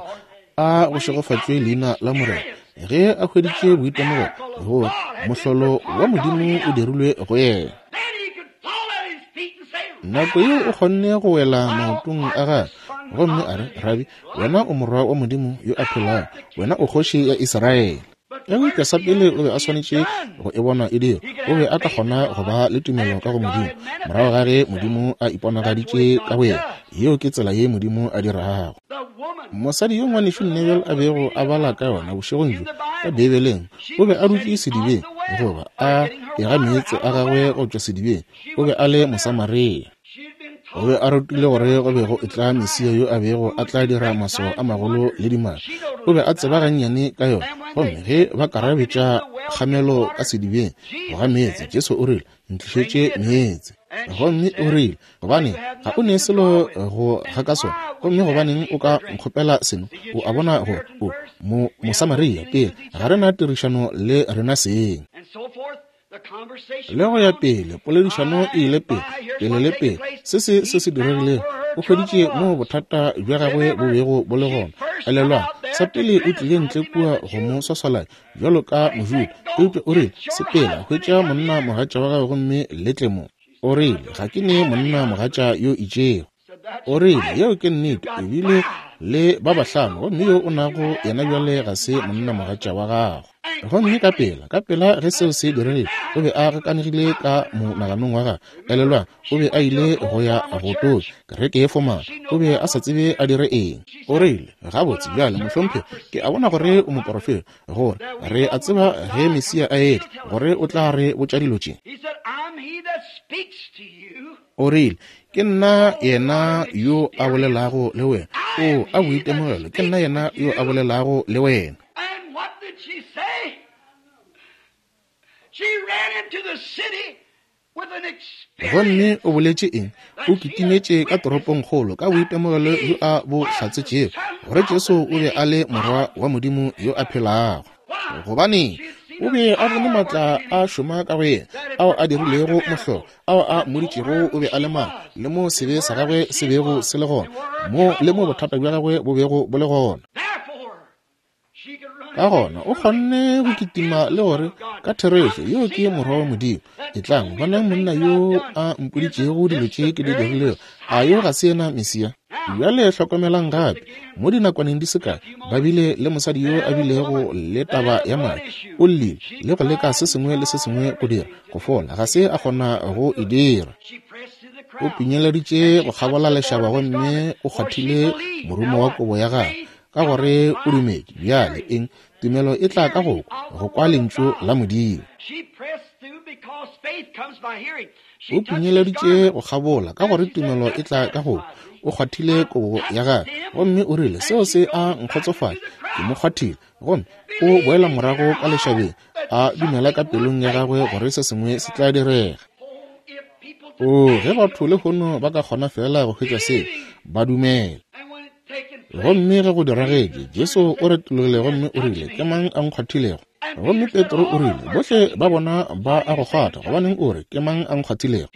a go šegofatšwe leina la Morena, ge a hweditše boitemogelo, gore mohlolo wa Modimo o dirilwe go yena. Nako yeo o kgonne go wela maotong a gagwe, gomme a re, Rabi, wena o morwa wa Modimo yo a phelago, wena o kgoši ya Israele. Eupša sa pele o be a swanetše go e bona e dira. O be a ka kgona go ba le tumelo ka go Modimo morago ga ge Modimo a iponagaditše ka go yena. Yeo ke tsela ye Modimo a dirago. Mosadi yo Ngwanešu Neville a bego a bala ka yona bošegong bjo ka Beibeleng, o be a dutše sedibeng, goba a ega meetse a gagwe go tšwa sedibeng. O be a le Mosamaria. O be a rutile gore go be go etla Mesia yo a bego a tla dira maswao a magolo le dimaka. O be a tseba gannyane ka yona. Gomme ge ba karabetša kgamelo ka sedibeng go ga meetse, Jesu o rile, Ntlišetše meetse. Gomme o rile, Gobane ga o ne selo go ga ka sona, gomme gobaneng o ka nkgopela seno? O a bona gore o mo Mosamaria, pele ga re na tirišano le rena seng. Le go ya pele, poledišano e ile pele, pele le pele. Se se se se diregilego, o hweditše moo bothata bja gagwe bo bego bo le gona. Elelwang, sa pele o tlile ntle kua go mo swaswalanya, bjalo ka Mojuda, eupša o rile, Sepela, hwetša monna mogatša wa gago gomme le tle mo. O rile, Ga ke ne monna mogatša yo itšego. O rile, Yeo ke nnete, ebile le ba bahlano, gomme yo o nago yena bjale ga se monnamogatša wa gago. Gomme ka pela, ka pela ge seo se diregile, o be a gakanegile ka monaganong wa gagwe. Elelwang, o be a ile go ya go tonya kereke ye fomala. O be a sa tsebe a dire eng. O rile, Gabotse, bjale, mohlomphegi, ke a bona gore o moporofeta, gore re a tseba ge Mesia a etla, gore o tla re botša dilo tše. O rile, Ke nna yena yo a bolelago le wena. O, a boitemogelo, ke nna yena yo a bolelago le wena. Gomme o boletše eng? O kitimetše ka toropongkgolo ka boitemogelo bjo a bo hlatsetšego, gore Jesu o be a le Morwa wa Modimo yo a phelago. Gobaneng? O be a bone maatla a šoma ka go yena, ao a dirilego mohlolo, ao a mmoditšego o be a le mang, le mo sebe sa gagwe se bego se le gona, mo le mo bothata bja gagwe bo bego bo le gona. Ka gona o kgonne go kitima le gore, Ka therešo, yo ke Morwa wa Modimo. Etlang, bonang monna yo a mpoditšego dilo tše ke di dirilego. A yo ga se yena Mesia? Bjale hlokomelang gape, mo dinakwaneng di se kae, ba bile le mosadi yo a bilego le taba ya madi. O llile le go leka se sengwe le se sengwe go dira go fola, ga se a kgona go e dira. O pinyeleditše go kgabola lešaba gomme o kgwathile morumo wa kobo ya gagwe, ka gore o dumetše. Bjale eng? Tumelo e tla ka go kwa, go kwa Lentšu la Modimo. O pinyeleditše go kgabola, ka gore tumelo e tla ka go kwa. O kgwathile kobo ya gagwe, gomme o rile, Seo se a nkgotsofatša. Ke mo kgwathile. Gomme o boela morago ka lešabeng, a dumela ka pelong ya gagwe gore se sengwe se tla direga. Oo, ge batho lehono ba ka kgona feela go hwetša seo, ba dumela. Gomme ge go diragetše, Jesu o retologile gomme o rile, Ke mang a nkgwathilego? Gomme Petro o rile, Bohle ba bona ba a go kgwatha, gobaneng o re, Ke mang a nkgwathilego?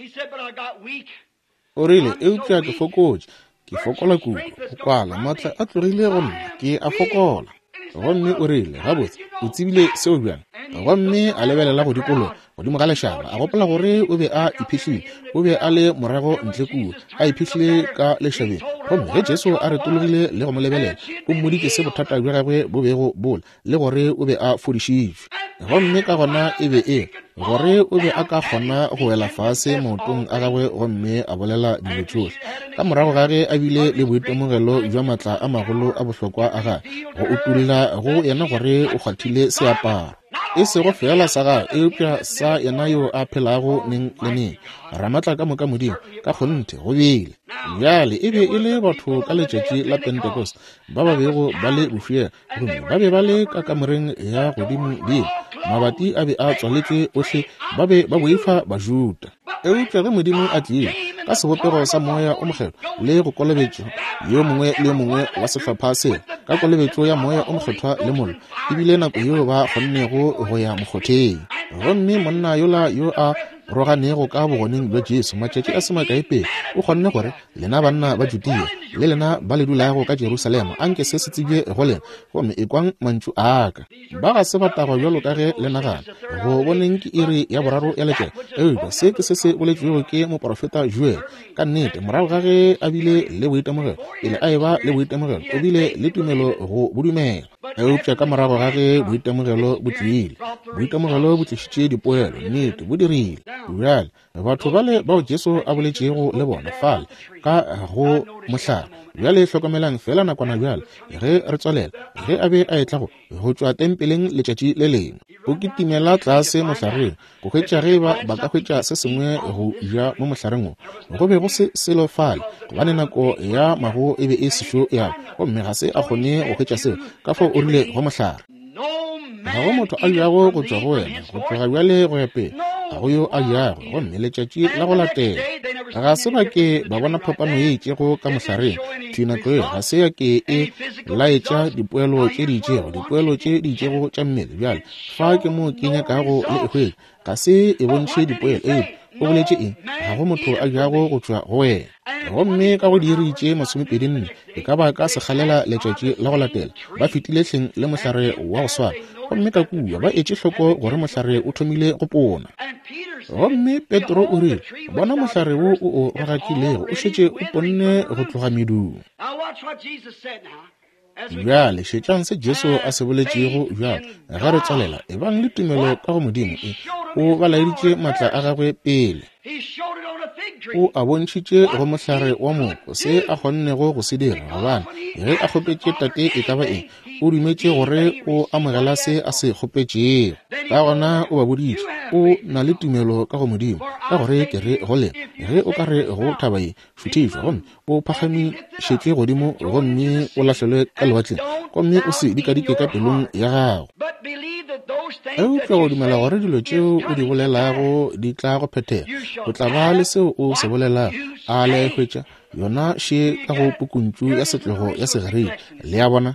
O rile, Eupša ke fokotše, ke fokola kudu, go kwala, maatla a tlogile go nna, ke a fokola. Gomme o rile, Gabotse, o tsebile seo bjang? Gomme a lebelela go dikologa, godimo ga lešaba, a gopola gore o be a iphihlile. O be a le morago ntle kua, a iphihlile ka lešabeng. Gomme ge Jesu a retologile le go mo lebelela, o mmoditše se bothata bja gagwe bo bego bo le, le gore o be a fodišitšwe. Gomme ka gona e be e gore o be a ka kgona go wela fase maotong a gagwe gomme a bolela dilo tšohle. Ka morago ga ge a bile le boitemogelo bja matla a magolo a bohlokwa a gagwe, go utolla go yena gore o kgwathile seaparo. E sego feela sa gagwe, eupša sa yena yo a phelago neng le neng, Ramatla ka moka Modimo. Ka kgonthe, go bile. Bjale, e be e le batho ka letšatši la Pentecost ba ba bego ba le bofiela, gomme ba be ba le ka kamoreng ya godimodimo. Mabati a be a tswaletšwe ohle, ba be ba boifa Bajuda. Eupša ge Modimo a tlile ka sebopego sa Moya o Mokgethwa le go kolobetšo yo mongwe le yo mongwe wa sehlopha seo ka kolobetšo ya Moya o Mokgethwa le mollo, e bile nako yeo ba kgonnego go ya mokgotheng. Gomme monna yola yo a roganego ka bogoneng bja Jesu matšatši a se makae pele, o kgonne gore, Lena banna ba Judea le lena ba le dulago ka Jerusalema, anke se se tsebje go lena, gomme ekwang mantšu a ka. Ba ga se ba tagwa bjalo ka ge le nagana. Go boneng ke iri ya boraro ya letšatši. Eupša se ke se se boletšwego ke moporofeta Joel. Ka nnete, morago ga ge a bile le boitemogelo, pele a eba le boitemogelo, o bile le tumelo go bo dumela. Eupša ka morago ga ge boitemogelo bo tlile, boitemogelo bo tlišitše dipoelo, nnete, bo dirile. Bjale, Batho bale bao Jesu a boletšego le bona fale ka go mohlare. Bjale hlokomelang feela nakwana bjale ge re tswalela. Ge a be a etla go tšwa tempeleng letšatši le lengwe, o kitimela tlase mohlareng go hwetša ge eba ba ka hwetša se sengwe go ja mo mohlareng wo. Go be go se selo fale, gobane nako ya mago e be e sešo ya, gomme ga se a kgone go hwetša seo. Ka fao o rile go mohlare, Ga go motho a jago go tšwa go wena go tloga bjale go ya pele, ga go yo a jago. Gomme letšatši la go latela ga se ba ke ba bona phapano ye itšego ka mohlareng. Thwi nako yeo ga se ya ke e laetša dipoelo tše di itšego, dipoelo tše di itšego tša mmele. Bjale fa ke mo ke nyakago le e hwetša. Ga se e bontšhe dipoelo, eupša o boletše eng? Ga go motho a jago go tšwa go wena. Gomme ka go diiri tše masomepedi nne, e ka ba ka sekgalela letšatši la go latela, ba fetile hleng le mohlare wa go swana. Gomme ka kua ba etše hloko gore mohlare o thomile go pona. Gomme Petro o rile, Bona mohlare wo o o rogakilego o šetše o ponne go tloga medung. Bjale šetšang se Jesu a se boletšego bjale ge re tswalela. Ebang le tumelo ka go Modimo. E, o ba laeditše matla a gagwe pele. O a bontšhitše go mohlare wa moko se a kgonnego go se dira, gobane ge a kgopetše Tate e ka ba eng, o dumetše gore o amogela se a se kgopetšego. Ka gona o ba boditše, o na le tumelo ka go Modimo, ka gore ke re go lena, ge o ka re go thaba ye, šuthišwa gomme o phagamišetšwe godimo gomme o lahlelwe ka lewatleng, gomme o se dikadike ka pelong ya gago, eupša go dumela gore dilo tšeo o di bolelago di tla go phethega, o tla ba le seo o se bolelago. A le a e hwetša? Yona še ka go pukuntšu ya setlogo ya Segerika. Le a bona?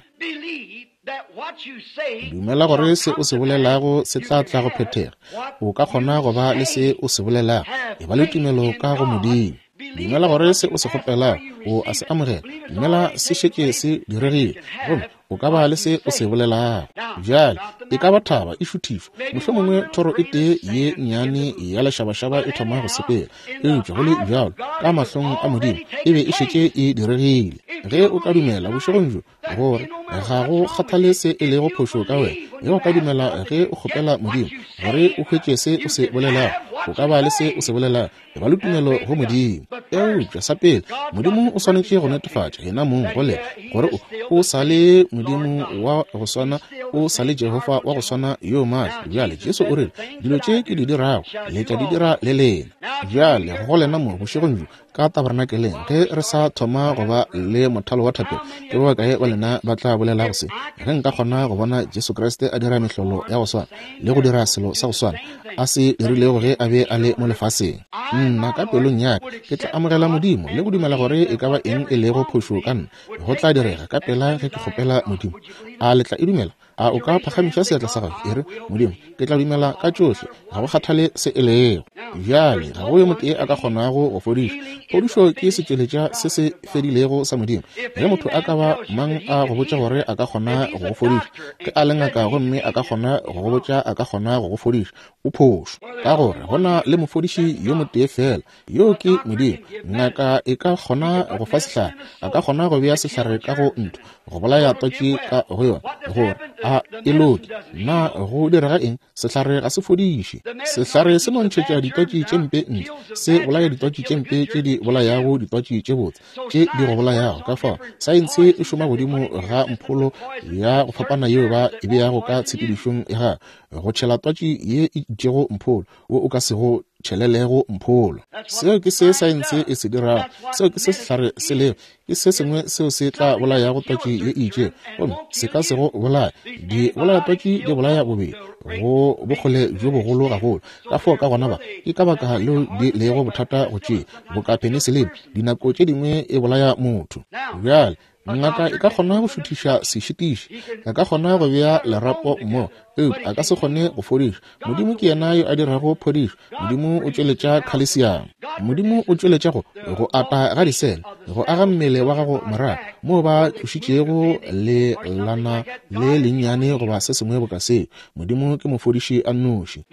Dumela gore se o se bolelago se tla tla go phethega. O ka kgona go ba le se o se bolelago. E ba le tumelo ka go Modimo. Dumela gore se o se kgopelago o a se amogela. Dumela se šetše se diregile, gomme o ka ba le se o se bolelago. Bjale, e ka ba thaba e šuthišwa, mohlomongwe thoro e tee ye nnyane ya lešabašaba e thoma go sepela, eupša go le bjalo, ka mahlong a Modimo e be e šetše e diregile. Ge o ka dumela bošegong bjo, gore ga go kgathale se e lego phošo ka wena, ge o ka dumela ge o kgopela Modimo gore o hwetše se o se bolelago, o ka ba le se o se bolelago. E ba le tumelo go Modimo. Eupša sa pele, Modimo o swanetše go netefatša yena mong go lena gore o, o sa le Modimo wa go swana, o sa le Jehofa wa go swana yo maatla. Bjale Jesu o rile, Dilo tše ke di dirago, le tla di dira le lena. Bjale go lena mo bošegong bjo, ka tabernakeleng, ge re sa thoma go ba le mothalo wa thapelo, ke ba bakae ba lena ba tla bolelago se? Ge nka kgona go bona Jesu Kriste a dira mehlolo ya go swana le go dira selo sa go swana a se dirilego ge a be a le mo lefaseng, nna ka pelong ya ka ke tla amogela Modimo le go dumela gore e ka ba eng e lego phošo ka nna go tla direga ka pela ge ke kgopela Modimo. A le tla e dumela? A o ka phagamiša seatla sa gago e re, Modimo, ke tla dumela ka tšohle, ga go kgathale se e lego. Bjale ga go yo motee a ka kgonago go fodiša. Phodišo ke setšweletša se se fedilego sa Modimo. Ge motho a ka ba mang a go botša gore a ka kgona go go fodiša, ge a le ngaka gomme a ka kgona go go botša a ka kgona go go fodiša, o phošo. Ka gore go na le mofodiši yo motee feela, yoo ke Modimo. Ngaka e ka kgona go fa sehlare, a ka kgona go bea sehlare ka go ntho, go bolaya twatši ka go yona, gore a e loke. Na go direga eng? Sehlare ga se fodiše. Sehlare se no ntšhetša ditwatši tše mpe ntle, se bolaya ditwatši tše mpe tše di bolayago ditwatši tše botse tše di go bolayago. Ka fao saense e šoma godimo ga mpholo ya go fapana yeo ba e beago ka tshepedišong ya gagwe go tšhela twatši ye e itšego mpholo wo o ka sego tšhelelego mpholo. Seo ke se saense e se dirago. Seo ke se sehlare se lego. Ke se sengwe seo se tla bolayago twatši ye e itšego, gomme se ka se go bolaya. Di bolaya twatši di bolaya bobedi go bokgole bjo bogolo gagolo. Ka fao ka gona ba, ke ka baka leo di lego bothata go tšea, boka penicillin, dinako tše dingwe e bolaya motho. Bjale, Ngaka e ka kgona go šuthiša sešitiši, a ka kgona go bea lerapo mo, eupša a ka se kgone go fodiša. Modimo ke yena yo a dirago phodišo. Modimo o tšweletša khalesiamo. Modimo o tšweletša go, go ata ga disele, go aga mmele wa gago morago, moo ba tlošitšego lelana le lennyane goba se sengwe boka seo. Modimo ke mofodiši a nnoši.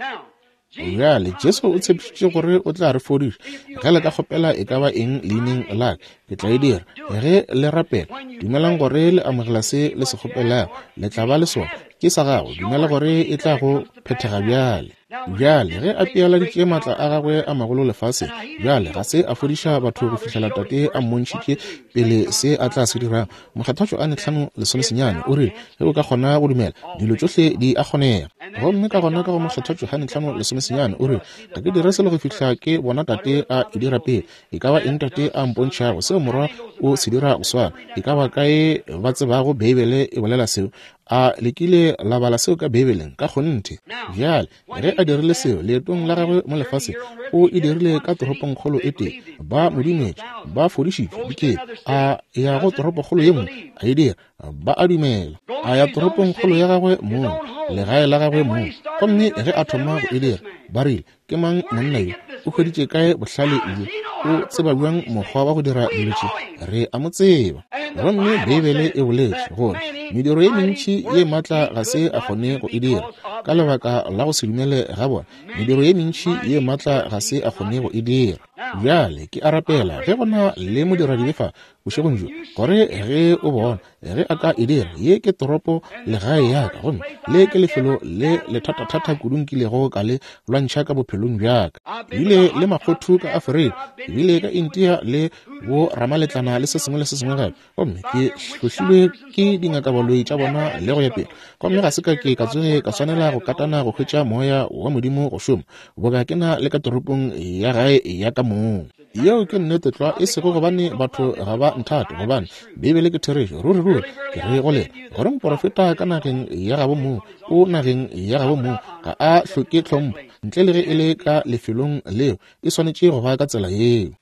Bjale, Jesu o tshepišitše gore o tla re fodiša. Ge le ka kgopela e ka ba eng leineng la ka, ke tla e dira. Ge le rapela, dumelang gore le amogela se le se kgopelago, le tla ba le sona. Ke sa gago, dumela gore e tla go phethega bjale. Bjale, ge a pealaditše maatla a gagwe a magolo lefaseng, bjale ga se a fodiša batho go fihlela Tate a mmontšhitše pele se a tla se dirago. Mokgethwa Johane 5:19 o rile, Ge o ka kgona go dumela, dilo tšohle di a kgonega. Gomme ka gona ka go Mokgethwa Johane 5:19 o rile, Ga ke dire selo go fihla ke bona Tate a e dira pele. E ka ba eng Tate a mpontšhago, seo Morwa o se dira go swana. E ka ba kae ba tsebago Beibele e bolela seo? A le kile la bala seo ka Beibeleng? Ka kgonthe. Bjale, Ge a dirile seo leetong la gagwe mo lefaseng, o e dirile ka toropongkgolo e tee. Ba mo dumetše, ba fodišitšwe dikete. A ya go toropokgolo ye nngwe, a e dira, ba a dumela. A ya toropongkgolo ya gagwe mong, legae la gagwe mong. Gomme ge a thoma go e dira, ba rile, Ke mang monna yo? O hweditše kae bohlale bjo? O tseba bjang mokgwa wa go dira dilo tše? Re a mo tseba. Gomme Beibele e boletše gore mediro ye mentši ye maatla ga se a kgone go e dira ka lebaka la go se dumele ga bona. Mediro ye mentši ye maatla ga se a kgone go e dira. Bjale ke a rapela ge go na le modiradibe fa bošegong bjo, gore ge o bona ge a ka e dira, ye ke toropo legae ya ka, gomme le ke lefelo le lethatathata kudu nkilego ka le lwantšha ka bophelong bja ka. Bile le makgothu ka Afrika, bile ka India le bo ramaletlana le se sengwe le se sengwe gape, gomme ke hlohlilwe ke dingakabaloi tša bona le go ya pele, gomme ga se ka ke ka tsoge ka swanela go katana go hwetša moya wa Modimo go šoma boka ke na le ka toropong ya gae ya ka mong. Yeo ke nnete tlwa, e sego gobane batho ga ba nthate, gobane Beibele ke therešo. Ruri ruri ke re go lena, gore moporofeta ka nageng ya gabo mong, o nageng ya gabo mong, ga a hloke tlhompho, ntle le ge e le ka lefelong leo, e swanetše go ba ka tsela yeo.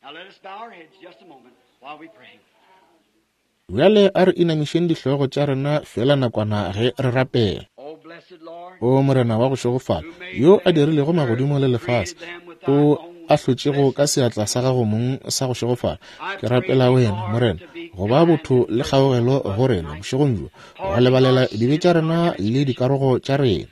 Bjale a re inamišeng dihlogo tša rena feela nakwana ge re rapela. O Morena wa go šegofala, yo a dirilego magodimo le lefase, o a hlotšego ka seatla sa gago mong sa go šegofala, ke rapela wena, Morena, go ba botho le kgaogelo go rena bošegong bjo, go lebalela dibe tša rena le dikarogo tša rena.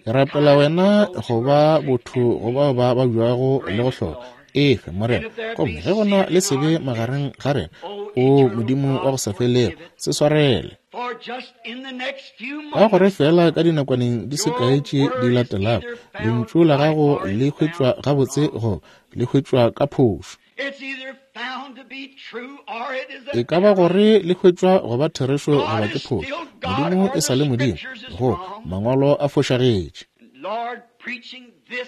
Ke rapela wena go ba botho go bao ba babjago le go hloka. Efe, Morena, gomme ge go na le sebe magareng ga rena, o Modimo wa go sa felego, se swarele. Ka gore fela ka dinakwaneng di se kae tše di latelago, lentšu la gago le hwetšwa gabotse goba le hwetšwa ka phošo. E ka ba gore le hwetšwa go ba therešo goba ke phošo. Modimo e sa le Modimo, go mangwalo a fošagetše.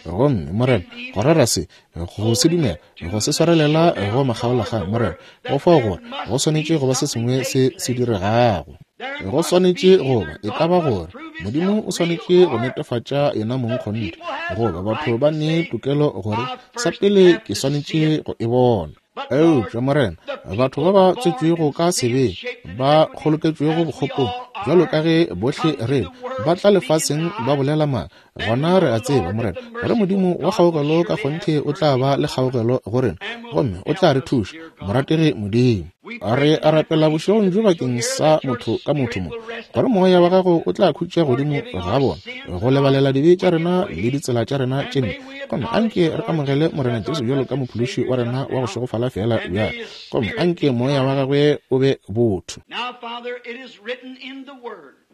Gomme, Morena, go rera se, go se dumela, go se swarelela go makgaolakgang, Morena, go fao gore go swanetše go ba se sengwe se se diregago. Go swanetše go ba, e ka ba gore Modimo o swanetše go netefatša yena mong kgonthe, goba batho ba ne tokelo gore sa pele ke swanetše go e bona. Eupša, Morena, batho ba ba tswetšwego ka sebeng, ba kgoloketšwego bokgopong, bjalo ka ge bohle re ba tla lefaseng ba bolela maaka, gona re a tseba, Morena, gore Modimo wa kgaogelo ka kgonthe o tla ba le kgaogelo go rena, gomme o tla re thuša, morategi Modimo. Re a rapela bošegong bjo bakeng sa motho ka motho mo, gore moya wa gago o tla khutša godimo ga bona, go lebalela dibe tša rena le ditsela tša rena tše mpe. Gomme anke re amogele Morena Jesu bjalo ka Mophološi wa rena wa go šegofala feela bjale. Gomme anke moya wa gagwe o be botho.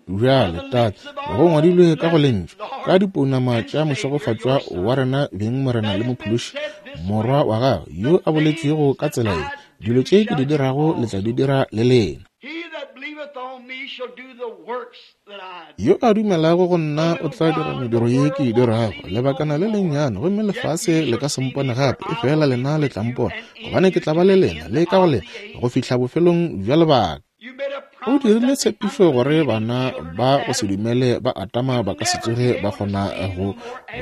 Bjale, Tate, go ngwadilwe ka go Lentšu, ka dipounama tša mošegofatšwa wa rena beng Morena le Mophološi, Morwa wa Gagwe, yo a boletšwego ka tsela ye, Dilo tše ke di dirago le tla di dira le lena. Yo a dumelago go nna o tla dira mediro ye ke e dirago, lebakana le lennyane, gomme lefase le ka se mpone gape, efela lena le tla mpona, gobane ke tla ba le lena le ka go lena go fihla bofelong bja lebaka. O dirile tshepišo gore bana ba go se dumele ba Adama ba ka se tsoge ba kgona go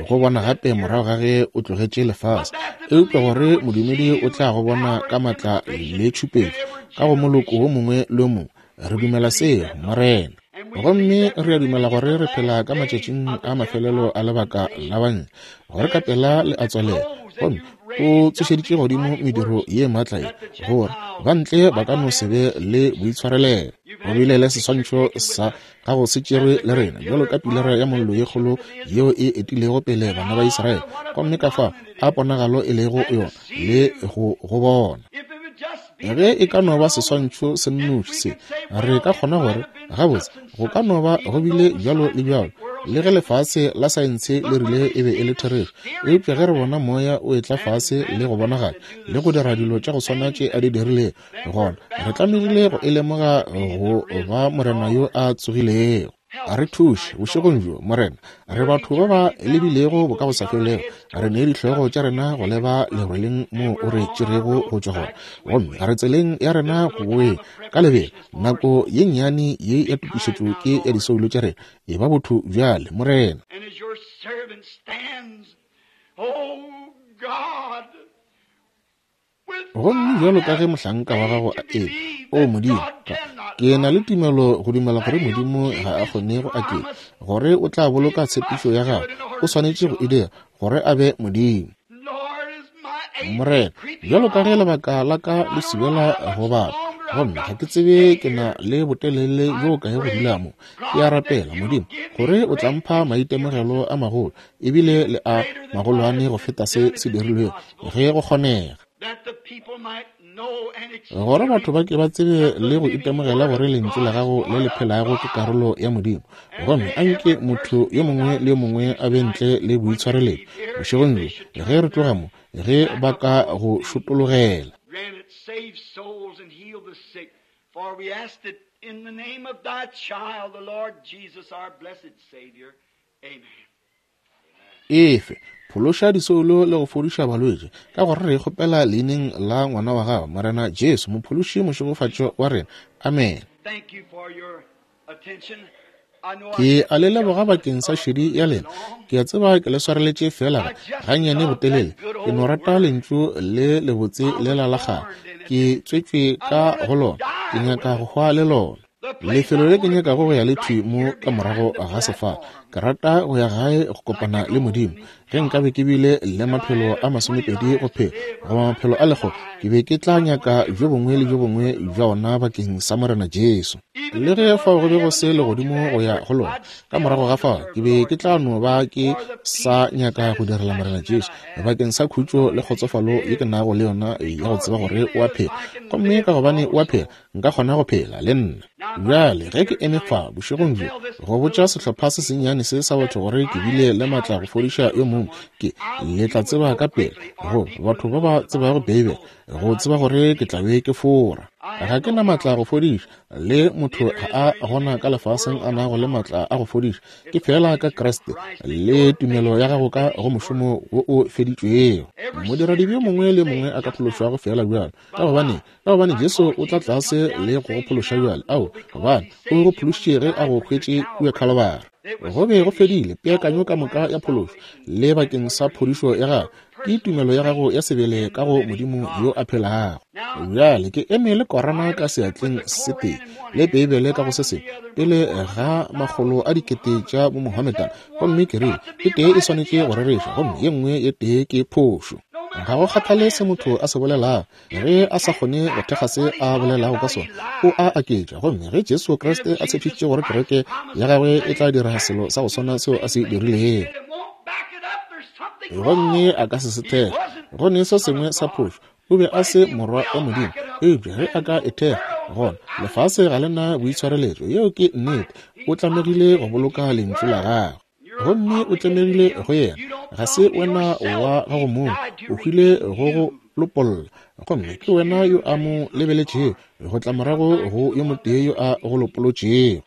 go bona gape morago ga ge o tlogetše lefase, eupša gore modumedi o tla go bona ka matla le tšhupetšo ka go moloko wo mongwe le wo mongwe. Re dumela seo, Morena. Gomme re a dumela gore re phela ka matšatšing a mafelelo a lebaka la banna, gore ka pela le a tswalela. Gomme o tsošeditše godimo mediro ye maatla ye, gore ba ntle ba ka no se be le boitshwarelelo. Go bile le seswantšho sa gago se tšerwe le rena, bjalo ka pilara ya mollo ye kgolo yeo e etilego pele bana ba Israele, gomme ka fao a ponagalo e lego yona le go go bona. Ge e ka no ba seswantšho se nnoši se, re ka kgona gore, gabotse, go ka no ba go bile bjalo le bjalo, le ge lefase la saense le rile e be e le therešo. Eupša ge re bona Moya o etla fase le go bonagala, le go dira dilo tša go swana tše A di dirilego, gona re tlamegile go e lemoga go ba Morena yo a tsogilego. A re thuše bošegong bjo, Morena. Re batho ba ba lebilego bokagosafelego. Re nee dihlogo tša rena go leba lerweleng moo o re tšerego go tšwa gona. Gomme re tseleng ya rena go boeng ka lebelo. Nako ye nnyane ye ya tokišetšo ke ya disoulo tša rena. E ba botho bjale, Morena. And as your servant stands, oh God, Gomme bjalo ka ge mohlanka wa gago a eme, O Modimo, ka, ke na le tumelo go dumela gore Modimo ga a kgone go aketša, gore o tla boloka tshepišo ya gagwe. O swanetše go e dira, gore a be Modimo. Morena, bjalo ka ge lebaka la ka le subela go bapa, gomme ga ke tsebe ke na le botelele bjo kae go dula mo, ke a rapela, Modimo, gore o tla mpha maitemogelo a magolo, ebile le a magolwane go feta se se dirilwego, ge go kgonega. Gore batho ba ke ba tsebe le go itemogela gore Lentšu la Gago le le phelago ke karolo ya Modimo. Gomme a nke motho yo mongwe le yo mongwe a be ntle le boitshwareletšo bošegong bjo, ge re tloga mo, ge ba ka go šotologela. Efe, phološa disoulo le go fodiša balwetši, ka gore re kgopela leineng la ngwana wa gago, Morena Jesu, Mophološi mošegofatšo wa rena. Amen. Ke a le leboga bakeng sa šedi ya lena. Ke a tseba ke le swareletše feela gannyane botelele. Ke no rata lentšu le lebotse lela la kgale. Ke tswetšwe ka go lona. Ke nyaka go hwa le lona. Lefelo le ke nyakago go ya le thwi mo ka morago ga sefala. Ke rata go ya gae go kopana le Modimo. Ge nkabe ke bile le maphelo a 20 go phela, goba maphelo a lekgolo, ke be ke tla nyaka bjo bongwe le bjo bongwe bja ona bakeng sa Morena Jesu. Le ge fao go be go se legodimo go ya go lona, ka morago ga fao ke be ke tla no ba ke sa nyaka go direla Morena Jesu bakeng sa khutšo le kgotsofalo ye ke nago le yona ya go tseba gore o a phela. Gomme ka gobane o a phela, nka kgona go phela le nna. Bjale ge ke eme fa bošegong bjo go botša sehlopha se sennyane se sa batho gore ke bile le matla go fodiša yo mongwe, ke le tla tseba ka pele go batho ba ba tsebago Beibele go tseba gore ke tla be ke fora. Ga ke na matla go fodiša, le motho ga a gona ka lefaseng a nago le matla a go fodiša, ke feela ka Kriste le tumelo ya gago ka go mošomo wo o feditšwego. Modiradibe yo mongwe le yo mongwe a ka phološwago feela bjalo, ka gobane Ka gobane Jesu o tla tlase le go go phološa bjale. Ao, gobane o go phološitše ge a go hwetše kua Khalobara. Go be go fedile peakanyo ka moka ya phološo le bakeng sa phodišo ya gago. Ke tumelo ya gago ya sebele ka go Modimo yo a phelago. Bjale ke eme le Korana ka seatleng se tee le Beibele ka go se sengwe pele ga makgolo a dikete tša Bomohammedan, gomme ke rile e tee e swanetše go rereša gomme ye nngwe ye tee ke phošo. Ga go kgathale se motho a se bolelago, Ge a sa kgone go thekga se a bolelago ka sona, o a aketša. Gomme ge Jesu Kriste a tshepišitše gore kereke ya gagwe e tla dira selo sa go swana seo a se dirilego, gomme a ka se se thekge, go ne se sengwe sa phošo. O be a se morwa wa Modimo. Eupša ge a ka e thekga, gona lefase ga le na boitshwareletšo. Yeo ke nnete. O tlamegile go boloka Lentšu la gagwe. Gomme o tlemegile go yena. Ga se wena wa gago mong, o hwile go go lopolla. Gomme ke wena yo a mo lebeletšego, go tla morago go yo motee yo a go lopolotšego.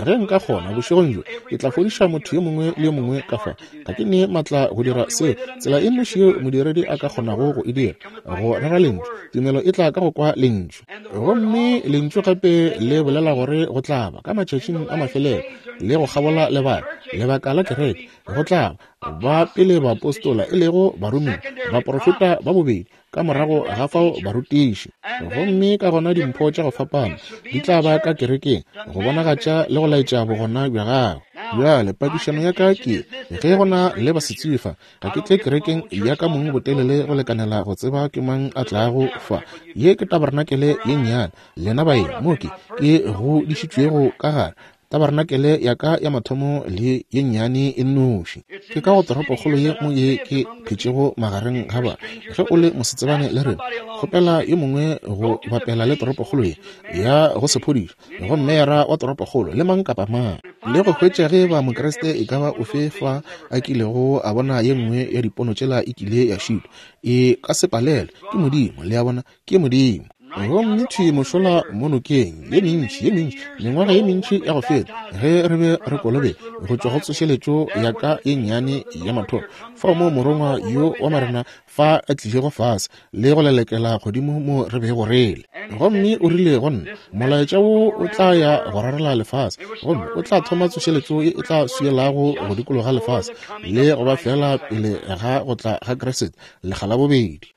Ge nka kgona, bošegong bjo, ke tla fodiša motho yo mongwe le yo mongwe ka fa. Ga ke ne maatla go dira seo. Tsela e nnoši yeo modiredi a ka kgonago go e dira, go rera Lentšu. Tumelo e tla ka go kwa Lentšu. Gomme Lentšu gape le bolela gore go tla ba, ka matšatšing a mafelelo, le go kgabola lebaka, lebaka la kereke, go tla ba, ba pele baapostola, e lego baromiwa, baprofeta ba bobedi, ka morago ga fao barutiši. Gomme ka gona dimpho tša go fapana di tla ba ka kerekeng go bonagatša le go laetša bogona bja gagwe. Bjale, pakišano ya ka ke, ge go na le basetsebi fa, ga ke tle kerekeng ya ka mong botelele go lekanela go tseba ke mang a tlago fa. Ye ke tabarenakele ye nnyane, lena baeng mo ke ke godišitšwego ka gare. Tabarenakele ya ka ya mathomo le ye nnyane e nnoši. Ke ka go toropokgolo ye mo ye ke phetšego magareng ga ba. Ge o le mosetsebane le rena, kgopela yo mongwe go bapela le toropokgolo ye ya go se phodišwe, go meyara wa toropokgolo le mang kapa mang, le go hwetša ge ba Mokriste e ka ba ofe fa a kilego a bona ye nngwe ya dipono tšela e kile ya šitwa. E ka se palelwe. Ke Modimo, le a bona, ke Modimo. Gomme thwi mošola mo nokeng, ye mentši, ye mentši, mengwaga ye mentši ya go feta, ge re be re kolobetša go tšwa go tsošeletšo ya ka ye nnyane ya mathomo, fao moo Morongwa yo wa Morena fa a tlilego fase le go lelekela godimo mo re bego re le. Gomme o rile go nna, Molaetša wo o tla ya go rarela lefase, gomme o tla thoma tsošeletšo ye e tla swielago go dikologa lefase, le go ba feela pele ga go tla ga Kriste lekga la bobedi.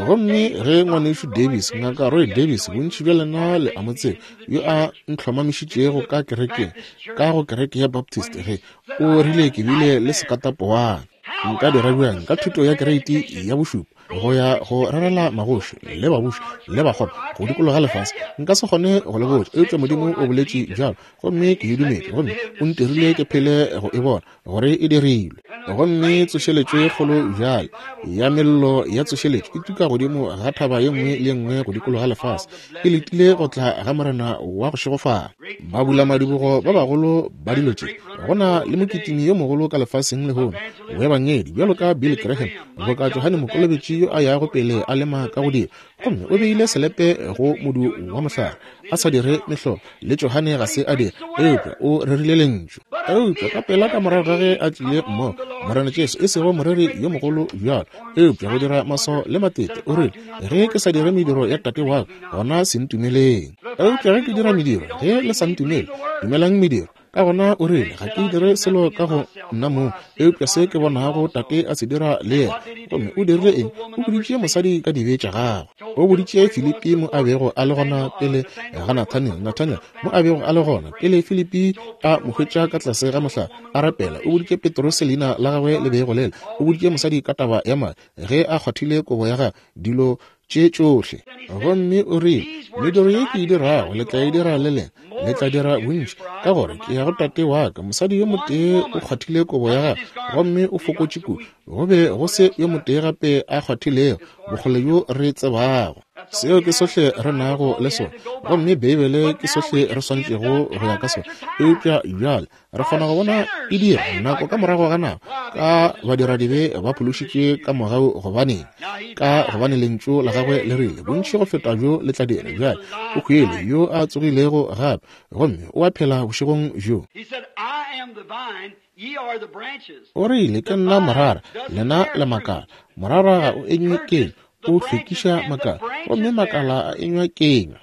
Gomme ge Ngwanešu Davis, Ngaka Roy Davis, bontši bja lena le a mo tseba, yo a ntlhomamišitšego ka kerekeng, ka go kereke ya Baptist, ge o rile ke bile le sekatapowana. Nka dira bjang ka thuto ya kereiti ya bošupa go ya go rerela magoši le babuši le bakgopo go dikologa lefase? Nka se kgone go le botša, eupša Modimo o boletše bjalo, gomme ke e dumetše, gomme o ntirile ke phele go e bona gore e dirilwe. Gomme tsošeletšo e kgolo bjale ya mello ya tsošeletšo e tuka godimo ga thaba ye nngwe le ye nngwe go dikologa lefase, e letile go tla ga Morena wa go šegofala. Babulamadibogo ba bagolo ba dilo tše, go na le mokitimi yo mogolo ka lefaseng lehono boebangedi bjalo ka Billy Graham, boka Johane Mokolobetši yo a yago pele a lema ka go dira, gomme o beile selepe go modu wa mohlare, a sa dire mehlolo, le Johane ga se a dira, eupša o rerile lentšu. Eupša ka pela ka morago ga ge a tlile mmogo, Morena Jesu, e sego moreri yo mogolo bjalo, eupša go dira maswao le matete, o rile, Ge ke sa dire mediro ya Tate wa ka, gona se ntumeleng. Eupša ge ke dira mediro, ge le sa ntumele, dumelang mediro. Ka gona o rile, Ga ke dire selo ka go nna mong, eupša se ke bonago Tate a se dira le yena. Gomme o dirile eng? O boditše mosadi ka dibe tša gagwe. O boditše Filipi mo a bego a le gona pele ga Nathaniel, Nathaniel mo a bego a le gona pele Filipi a mo hwetša ka tlase ga mohlare a rapela. O boditše Petrose leina la gagwe le bego le le. O boditše mosadi ka taba ya madi ge a kgwathile kobo ya gagwe, dilo tše tšohle. Gomme o rile, Mediro ye ke e dirago le tla e dira le lena, le tla dira bontši, ka gore ke ya go Tate wa ka. Mosadi yo motee o kgwathile kobo ya gagwe gomme o fokotše kudu. Go be go se yo motee gape a kgwathilego bokgole bjo re tsebago. Seo ke sohle re nago le sona, gomme Beibele ke sohle re swanetšego go ya ka sona. Eupša bjale re kgona go bona e dira nako ka morago ga nako ka badiradibe ba phološitšwe ka mogau. Gobaneng? Ka gobane lentšu la gagwe le rile bontši go feta bjo le tla dira. Bjale o hwile yo a tsogilego gape, gomme o a phela bošegong bjo. O rile, Ke nna morara, lena le makala. Morara ga o enywe kenywa, o hlwekiša makala, gomme makala a enywa kenywa.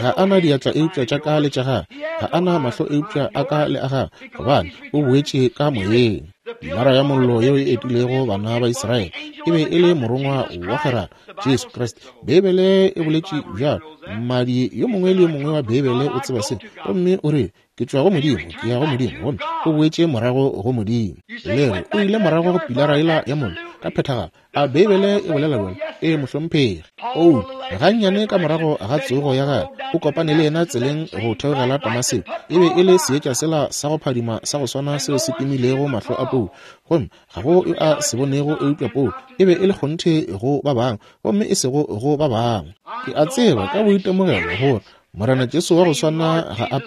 Ga a na diatla eupša tša ka le tša gagwe, ga a na mahlo eupša a ka le a gagwe, gobane o boetše ka moyeng. Pilara ya mollo yeo e etilego bana ba Israele e be e le morongwa wa kgwerano, Jesu Kriste. Beibele e boletše bjalo. Mmadi yo mongwe le yo mongwe wa Beibele o tseba se, gomme o re, Ke tšwa go Modimo, ke ya go Modimo, gomme o boetše morago go Modimo. Le re o ile morago go pilara yela ya mollo ka phethagalo. A Beibele e bolela bjalo? Ee, mohlomphegi. Paulo, gannyane ka morago ga tsogo ya gagwe, o kopane le yena tseleng go theogela Damaseko. E be e le seetša sela sa go phadima sa go swana seo se timilego mahlo a Paulo, gomme ga go yo a se bonego eupša Paulo. E be e le kgonthe go ba bangwe, gomme e sego go ba bangwe. Ke a tseba ka boitemogelo gore Morena Jesu wa go swana ga a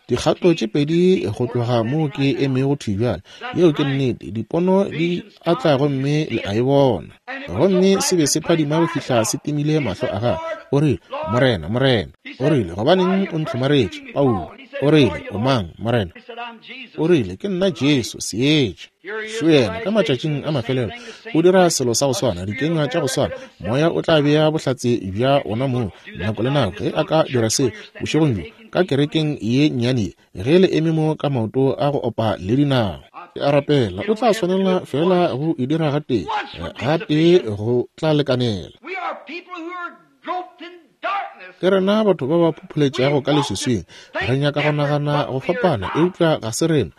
dikgato tše pedi go tloga moo ke emego thwi bjale. Yeo ke nnete. Dipono di a tla gomme le a e bona. Gomme se be se phadima go fihla se timile mahlo a gagwe. O rile, Morena, Morena. O rile, Gobaneng o ntlhomaretše, Paulo? O rile, O mang, Morena? O rile, Ke nna Jesu, seetša. Šo yena, ka matšatšing a mafelelo, o dira selo sa go swana, dikenywa tša go swana. Moya o tla bea bohlatse bja ona mong nako le nako ge a ka dira se bošegong bjo ka kerekeng ye nnyane ye, ge le eme mo ka maoto a go opa le dinao. Ke a rapela o tla swanela feela go e dira gatee, gatee go tla lekanela. Ke rena batho ba ba phopholetšago ka leswiswing. Re nyaka go nagana go fapana, eupša ga se rena.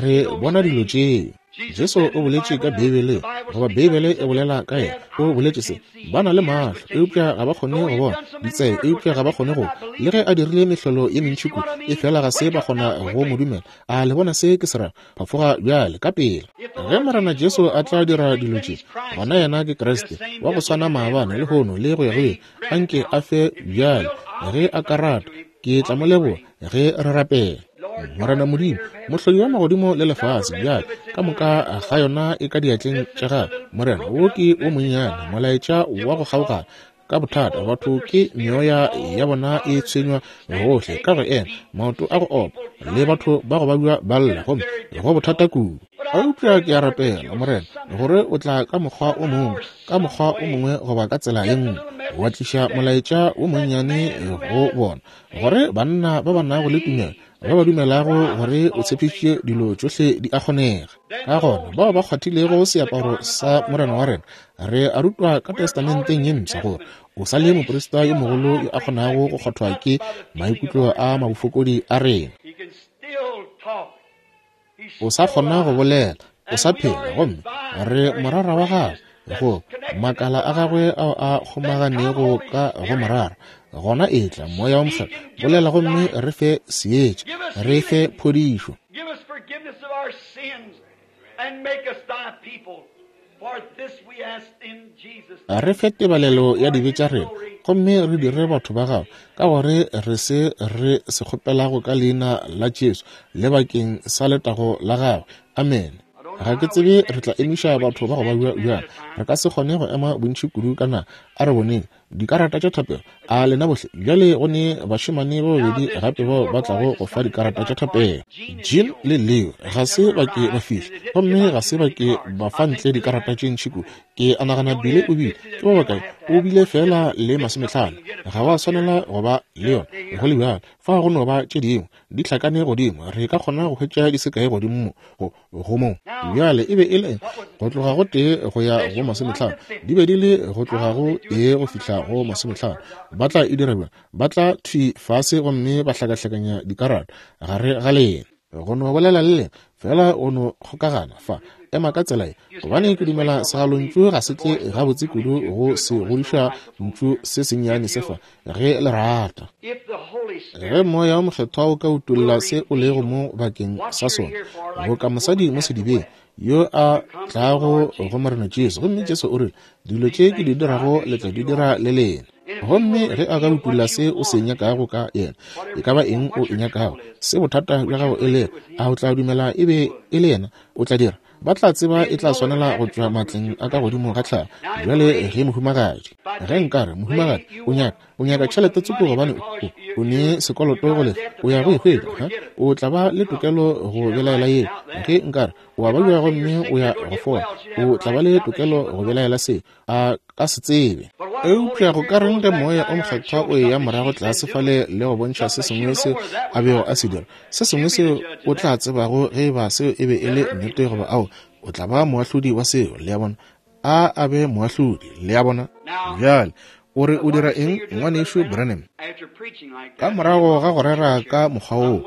Re bona dilo tšeo. Jesu o boletše ka Beibeleng, goba Beibele e bolela ka yena. O boletše se, Ba na le mahlo, eupša ga ba kgone go bona, ditsebe, eupša ga ba kgone go kwa. Le ge a dirile mehlolo ye mentši kudu, efela ga se ba kgona go mo dumela. A le bona se ke se rago? Phafoga bjale, ka pela. Ge Morena Jesu a tla dira dilo tše, gona yena ke Kriste, wa go swana maabane, lehono, le go ya go ile. Anke a fe bjale, ge a ka rata. Ke tla mo leboga ge re rapela. Morena Modimo, Mohlodi wa magodimo le lefase, bjale ka moka ga yona e ka diatleng tša gago. Morena, wo ke wo monnyane, molaetša wa go kgaogana ka bothata. Batho ke meoya ya bona e tshwenywa gohle ka go ema, maoto a go opa, le batho ba go babja ba lla, gomme go bothata kudu. Eupša ke a rapela, Morena, gore o tla ka mokgwa o mongwe, ka mokgwa o mongwe goba ka tsela ye nngwe, wa tliša molaetša wo monnyane go bona, gore banna ba ba nago le tumelo, ba ba dumelago gore o tshepišitše dilo tšohle di a kgonega. Ka gona bao ba kgwathilego seaparo sa Morena wa rena, re a rutwa ka Testamenteng ye Mpsha gore o sa le moprista yo mogolo yo a kgonago go kgwathwa ke maikutlo a mabofokodi a rena. O sa kgona go bolela. O sa phela, gomme re morara wa gagwe, go makala a gagwe ao a kgomaganego ka go morara. Gona etla, Moya wa Mokgethwa, bolela gomme re fe seetša, re fe phodišo. Re fe tebalelo ya dibe tša rena, gomme re dire batho ba gago, ka gore re se re se kgopelago ka leina la Jesu le bakeng sa letago la gagwe. Amene. Ga ke tsebe re tla emiša batho ba go ba bjang. Re ka se kgone go ema bontši kudu ka na. A re boneng dikarata tša thapelo. A lena bohle bjale go ne bašemane ba babedi gape bao ba tlago go fa dikarata tša thapelo. Jean le Leo ga se ba ke ba fihla, gomme ga se ba ke ba fa ntle dikarata tše ntši kudu. Ke a nagana Billy o bile, ke ba bakae, o bile feela le 50. Ga wa swanela go ba le yona go le bjalo. Fa go no ba tše dingwe di hlakane godimo, re ka kgona go hwetša di se kae godimo mo go mo. Bjale e be e le go tloga go 1 go ya go 50, di be di le go tloga go 1 go fihla go 50. Ba tla e dira bjang? Ba tla thwi fase gomme ba hlakahlakanya dikarata gare ga lena. Go no bolela le lena fela, go no kgokagana fa, ema ka tsela ye, gobane ke dumela segalontšu ga se tle gabotse kudu go se godiša ntšu se sennyane se fa, ge le rata. Ge Moya wa Mokgethwa o ka utolla se o lego mo bakeng sa sona, boka mosadi mo sedibeng yo a tlago go Morena Jesu, gomme Jesu o rile, dilo tše ke di dirago le tla di dira le lena. Gomme ge a ka utolla se o se nyakago ka yena, e ka ba eng o e nyakago, se bothata bja gago e lego, a o tla dumela e be e le yena? O tla dira. Ba tla tseba e tla swanela go tšwa matleng a ka godimo ga tlhago. Bjale ge mohumagadi, ge nkare mohumagadi o nyaka tšhelete tsoko gobane o ne sekoloto go lefa, o ya go e hwetša, o tla ba le tokelo go belaela yeo. Ge nkare o a babja gomme o ya go fola, o tla ba le tokelo go belaela seo, a ka se tsebe. Eupša go ka reng ge Moya o Mokgethwa o eya morago tlase fale le go bontšha se sengwe se a bego a se dira, se sengwe seo o tla tsebago ge eba seo e be e le nnete goba ao, o tla ba moahlodi wa seo. Le a bona? A be moahlodi. Le a bona? Bjale o re o dira eng, ngwanešu Branham? Ka morago ga go rera ka mokgwa woo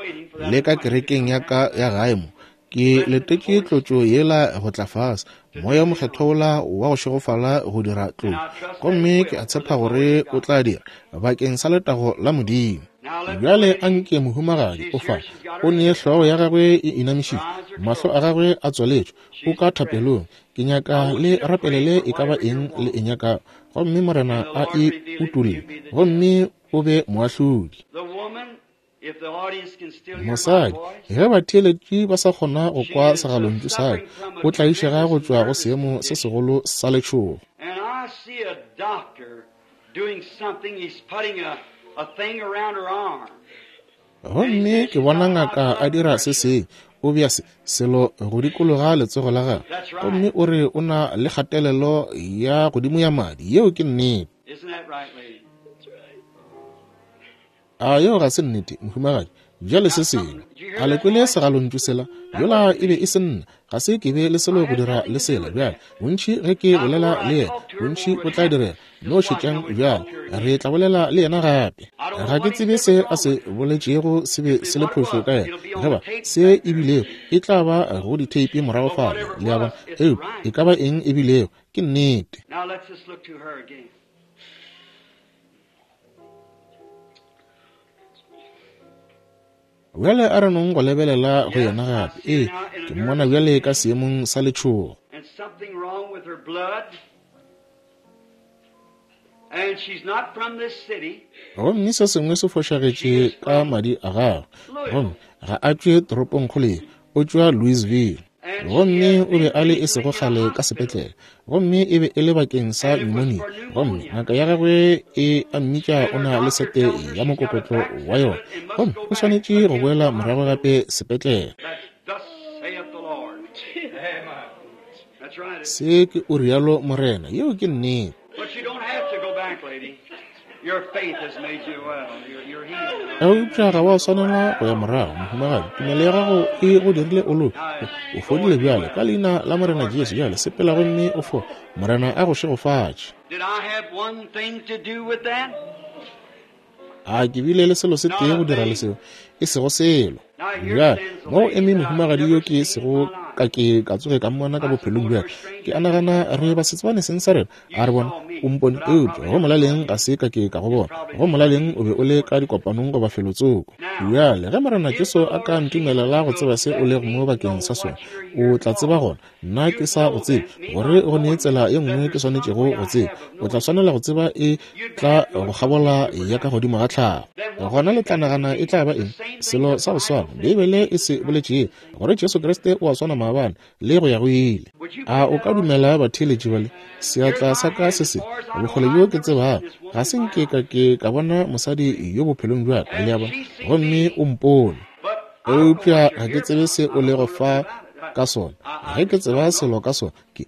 le ka kerekeng ya ka ya gae mo, ke letetše tlotšo yela go tla fase, Moya o Mokgethwa wola wa go šegofala go dira tlotšo, gomme ke a tshepa gore o tla dira bakeng sa letago la Modimo. Bjale a nke mohumagadi o fa, o ne hlogo ya gagwe e inamišitšwe, mahlo a gagwe a tswaletšwe, o ka thapelong. Ke nyaka le rapelele e ka ba eng le e nyakago, gomme Morena a e utolle, gomme o be moahlodi. Mosadi, ge batheeletši ba sa kgona go kwa segalontšu sa ka, o tlaišega go tšwa go seemo se segolo sa letšhogo. Gomme ke bona ngaka a dira se sengwe, o bea se selo go dikologa letsogo la gagwe, gomme o re o na le kgatelelo ya godimo ya madi. Yeo ke nnete. A yeo ga se nnete, mohumagadi? Bjale se sengwe, a le kwele segalontšu sela? Yola e be e se nna, ga se ke be le selo go dira le sela. Bjale bontši ge ke bolela le yena, bontši o tla direla. No šetšang bjale, re tla bolela le yena gape. Ga ke tsebe se a se boletšego se be se le phošo ka yena, ge ba se e bilego e tla ba go ditheipi morago fale, le a bona. Eupša e ka ba eng e bilego, ke nnete. Bjale a re nong go lebelela go yena gape. Ee, ke mmona bjale ka seemong sa letšhogo. Gomme se sengwe se fošagetše ka madi a gagwe, gomme ga a tšwe toropongkgolo ye, o tšwa Louisville. Gomme o be a le e sego kgale ka sepetlele, gomme e be e le bakeng sa pneumonia, gomme ngaka ya gagwe e a mmitša o na le sete ya mokokotlo wa yona, gomme o swanetše go boela morago gape sepetlele. Se ke o rialo Morena, yeo ke nnete. Eupša ga wa swanela go ya morago, mohumagadi. Tumelo ya gago e go dirile o loke. O fodile bjale ka leina la Morena Jesu. Bjale sepela gomme o fo. Morena a go šegofatše. A ke bile le selo se tee go dira le seo? E sego selo. Bjale mo eme mohumagadi yo ke sego ka ke ka tsoge ka mmona ka bophelong bja ke a nagana re ba setsebane seng sa rena. A re bona o mpone, eupša go molaleng ga se ka ke ka go bona. Go molaleng o be o le ka dikopanong goba felotsoko. Bjale ge Morena Jesu a ka ntumelela go tseba se o lego mo bakeng sa sona, o tla tseba gona nna ke sa go tsebe, gore go ne tsela ye nngwe ke swanetšego go tseba. O tla swanela go tseba e tla go kgabola ya ka godimo ga tlhago. Gona le tla nagana e tla ba eng? Selo sa go swana Beibele e se boletšego, gore Jesu Kriste o a swana maabane le go ya go ile. A o ka dumela batheeletši bale? Seatla sa ka se se bokgole bjo ke tsebago, ga se nke ka ke ka bona mosadi yo bophelong bja ka, le a bona, gomme o mpone. Eupša ga ke tsebe se o lego fa ka sona. Ge ke tseba selo ka sona, ke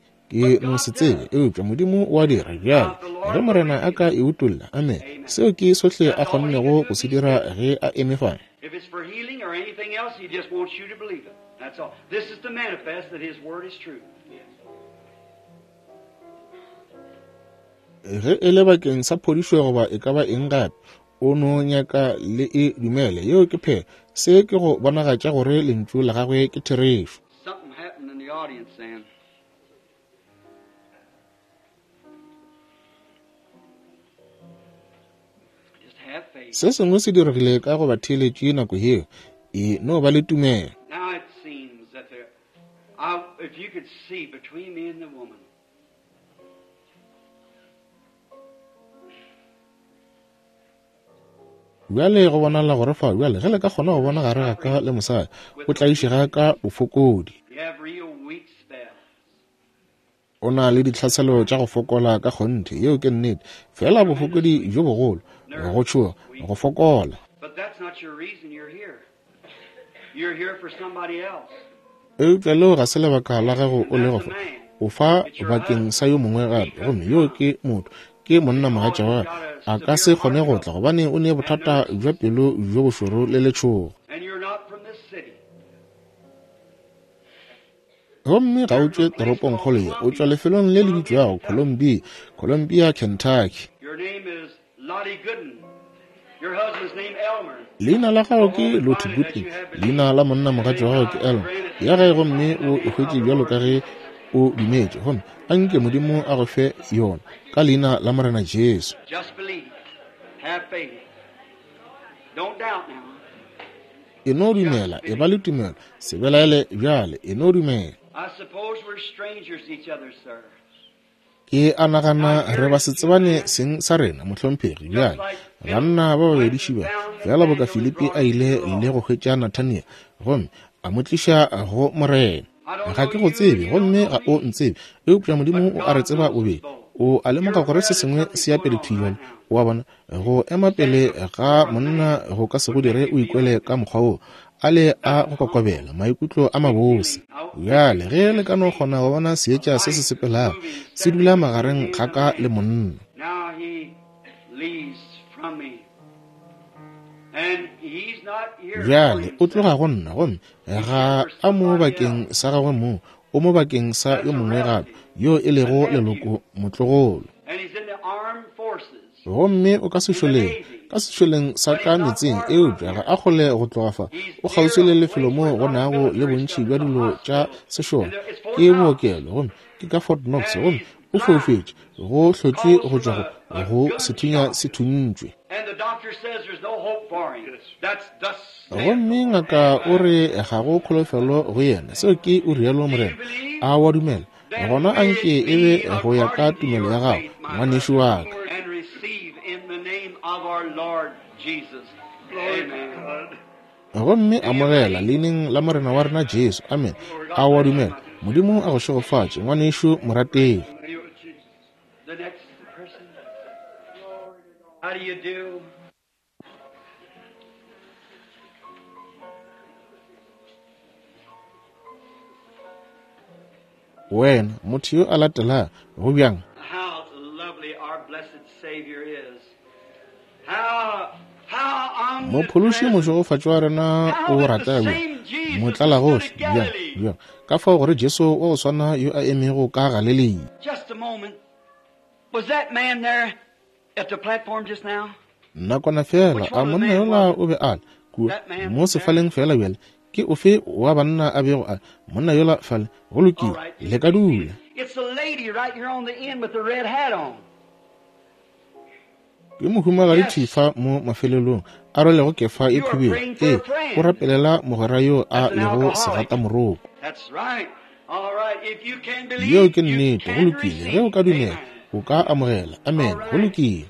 no se tsebe, eupša Modimo o a dira. Bjale ge Morena a ka e utolla, amen, seo ke sohle a kgonnego go se dira ge a eme fa. If it's for healing or anything else, he just wants you to believe it. That's all. This is to manifest that his word is true. Ge e le bakeng sa phodišo goba e ka ba eng gape, o no nyaka le e dumele. Yeo ke phela. Se ke go bonagatša gore lentšu la gagwe ke therešo. Something happened in the audience then. Just have faith. Se sengwe se diregile ka go batheeletši nako yeo. E no ba le tumelo. Now it seems that there, if you could see between me and the woman. Bjale go bonala gore fa bjale ge le ka kgona go bona gare ga ka le mosadi, o tlaišega ka bofokodi. You have real weak spells. O na le ditlhaselo tša go fokola ka kgonthe, yeo ke nnete. Fela bofokodi bjo bogolo, go tšhoga, go fokola. But that's not your reason you're here. You're here for somebody else. Eupša leo ga se lebaka la gago o lego fa. O fa bakeng sa yo mongwe gape, gomme yo ke motho, ke monna mogatša wa gagwe. A ka se kgone go tla gobane o ne bothata bja pelo bjo bošoro le letšhogo. And you're not from this city. Gomme ga o tšwe toropongkgolo ye, o tšwa lefelong le le bitšwago Columbia, Columbia, Kentucky. Your name is Lottie Gooden. Your husband's name Elmer. Leina la gago ke Lottie Gooden, leina la monna mogatša wa gago ke Elmer. Ya gae gomme o e hwetše bjalo ka ge o dumetše, gomme a nke Modimo a go fe yona ka leina la Morena Jesu. Just believe. Have faith. Don't doubt now. E no dumela, e ba le tumelo, se belaele bjale, e no dumela. I suppose we're strangers to each other, sir. Ke a nagana re ba se tsebane seng sa rena, mohlomphegi. Bjale banna ba babedi šiba, fela boka Filipi a ile le go hwetša Nathaniel gomme a mo tliša go Morena. Ga ke go tsebe gomme ga o ntsebe, eupša Modimo o a re tseba bobedi. O a lemoga gore se sengwe se ya pele thwi bjale. O a bona, go ema pele ga monna go ka se go dire o ikwele ka mokgwa wo, a le a go kokobela, maikutlo a mabose. Bjale ge le ka no kgona go bona seetša se se sepelago se dula magareng ga ka le monna. Now he leaves from me. And he's not here for Bjale o himself. tloga go nna, gomme ga a mo bakeng sa gagwe mong, o mo bakeng sa yo mongwe gape, yo e lego leloko motlogolo. And he's in the armed forces. Gomme o ka sešoleng sa ka metseng, eupša ga a kgole go tloga fa. O kgauswi le lefelo moo go nago le bontši bja dilo tša sešole, ke bookelo, gomme ke ka Fort Knox, gomme o foufetše, go hlotšwe go tšwa go sethunya se thuntšwe. And the doctor says there's no hope for him. That's thus saith Gomme ngaka o re ga go kholofelo go yena. Seo ke o rialo Morena. A wa dumela? Gona a nke e be go ya ka tumelo ya gago, ngwanešu wa ka. And receive in the name of our Lord Jesus. Amen. Gomme amogela leineng la Morena wa rena Jesu. Amen. A wa dumela? Modimo a go šegofatše, ngwanešu morategi. The next person. How do you do? Wena motho yo a latelago, go bjang? How lovely our blessed Savior is. How Mophološi omnipresent. mošegofatši wa rena o rata bjang, motlalagohle bjang, bjang, ka fao gore Jesu wa go swana yo a emego ka Galilea. Just a moment. Was that man there at the platform just now? Nakwana fela, a monna yola o be a le kua mo sefaleng fela bjale? Ke ofe wa banna a bego a monna yola fale? Go lokile, le ka dula. Ke mohumagadi Thifa mo mafelelong a rwelego kefa e khubedu. Ee, o rapelela mogwera yo a lego segatamoroko. Yeo ke nnete. Go lokile. Ge o ka dumela, o ka amogela. Amen. Go lokile.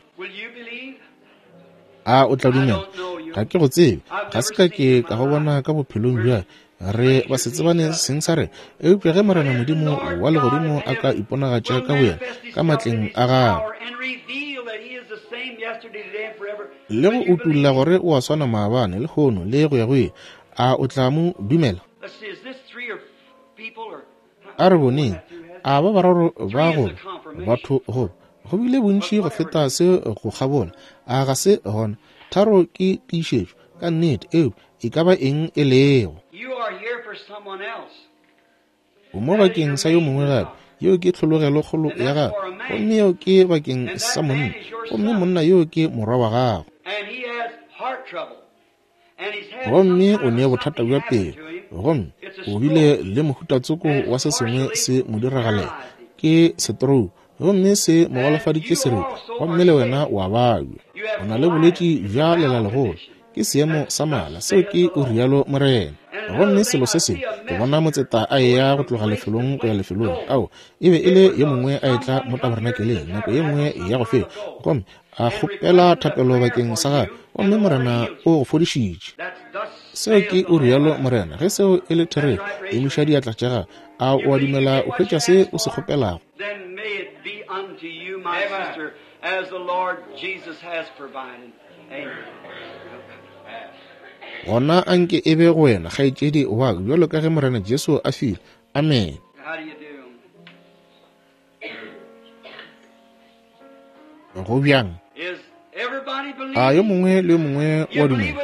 A o tla dumela? Ga ke go tsebe. Ga se ka ke ka go bona ka bophelong bja re ba se tsebane seng sa rena. Eupša ge Morena Modimo wa Legodimo a ka iponagatša ka boyena ka matleng a gagwe le go utolla gore o a swana maabane, lehono, le go ya go ile, a o tla mo dumela? A re boneng, a ba bararo ba go batho go go bile bontši go feta se go kgabola, a ga se gona? Tharo ke tiišetšo, ka nnete, eo e ka ba eng e lego. O mo bakeng sa yo mongwe gape, yeo ke tlhologelokgolo ya gago, gomme yeo ke bakeng sa monna, gomme monna yoo ke morwa wa gago. Gomme o ne bothata bja pelo, gomme o bile le mohutatsoko wa se sengwe se mo diragalela, ke setrou, gomme se mo golofaditše serope, gomme le wena wa babja. O na le bolwetši bja lelalegolo, ke seemo sa mala, seo ke o rialo Morena. Gomme selo se sengwe, ke bona motseta a eya go tloga lefelong go ya lefelong. Ao, e be e le yo mongwe a etla mo tabernakeleng nako ye nngwe ya go feta, gomme a kgopela thapelo bakeng sa gagwe, gomme Morena o go fodišitše. Seo ke o rialo Morena. Ge seo e le therešo, emiša diatla tša gago. A o a dumela o hwetša se o se kgopelago? Gona a nke e be go wena, kgaetšedi wa ka, bjalo ka ge Morena Jesu a file. Amene. Go bjang? A yo mongwe le yo mongwe wa dumela?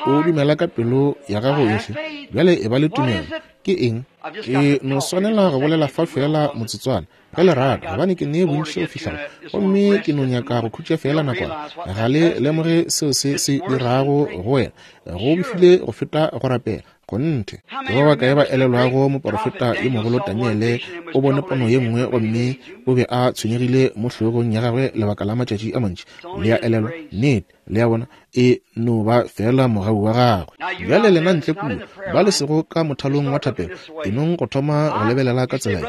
O dumela ka pelo ya gago yohle? Bjale e ba le tumelo. Ke eng? Ke no swanela go bolela fa feela motsotswana, ge le rata, gobane ke ne bontši go fihla go, gomme ke no nyaka go khutša feela nakwana. Ga le lemoge seo se se dirago go wena. Go befile go feta go rapela. Kgonthe. Ke ba bakae ba elelwago moporofeta yo mogolo Daniele o bone pono ye nngwe gomme o be a tshwenyegile mo hlogong ya gagwe lebaka la matšatši a mantši? Le a elelwa? Nnete. Le a bona? E no ba feela mogau wa gagwe. Bjale lena ntle kua, ba le sego ka mothalong wa thapelo, e nong go thoma go lebelela ka tsela ye.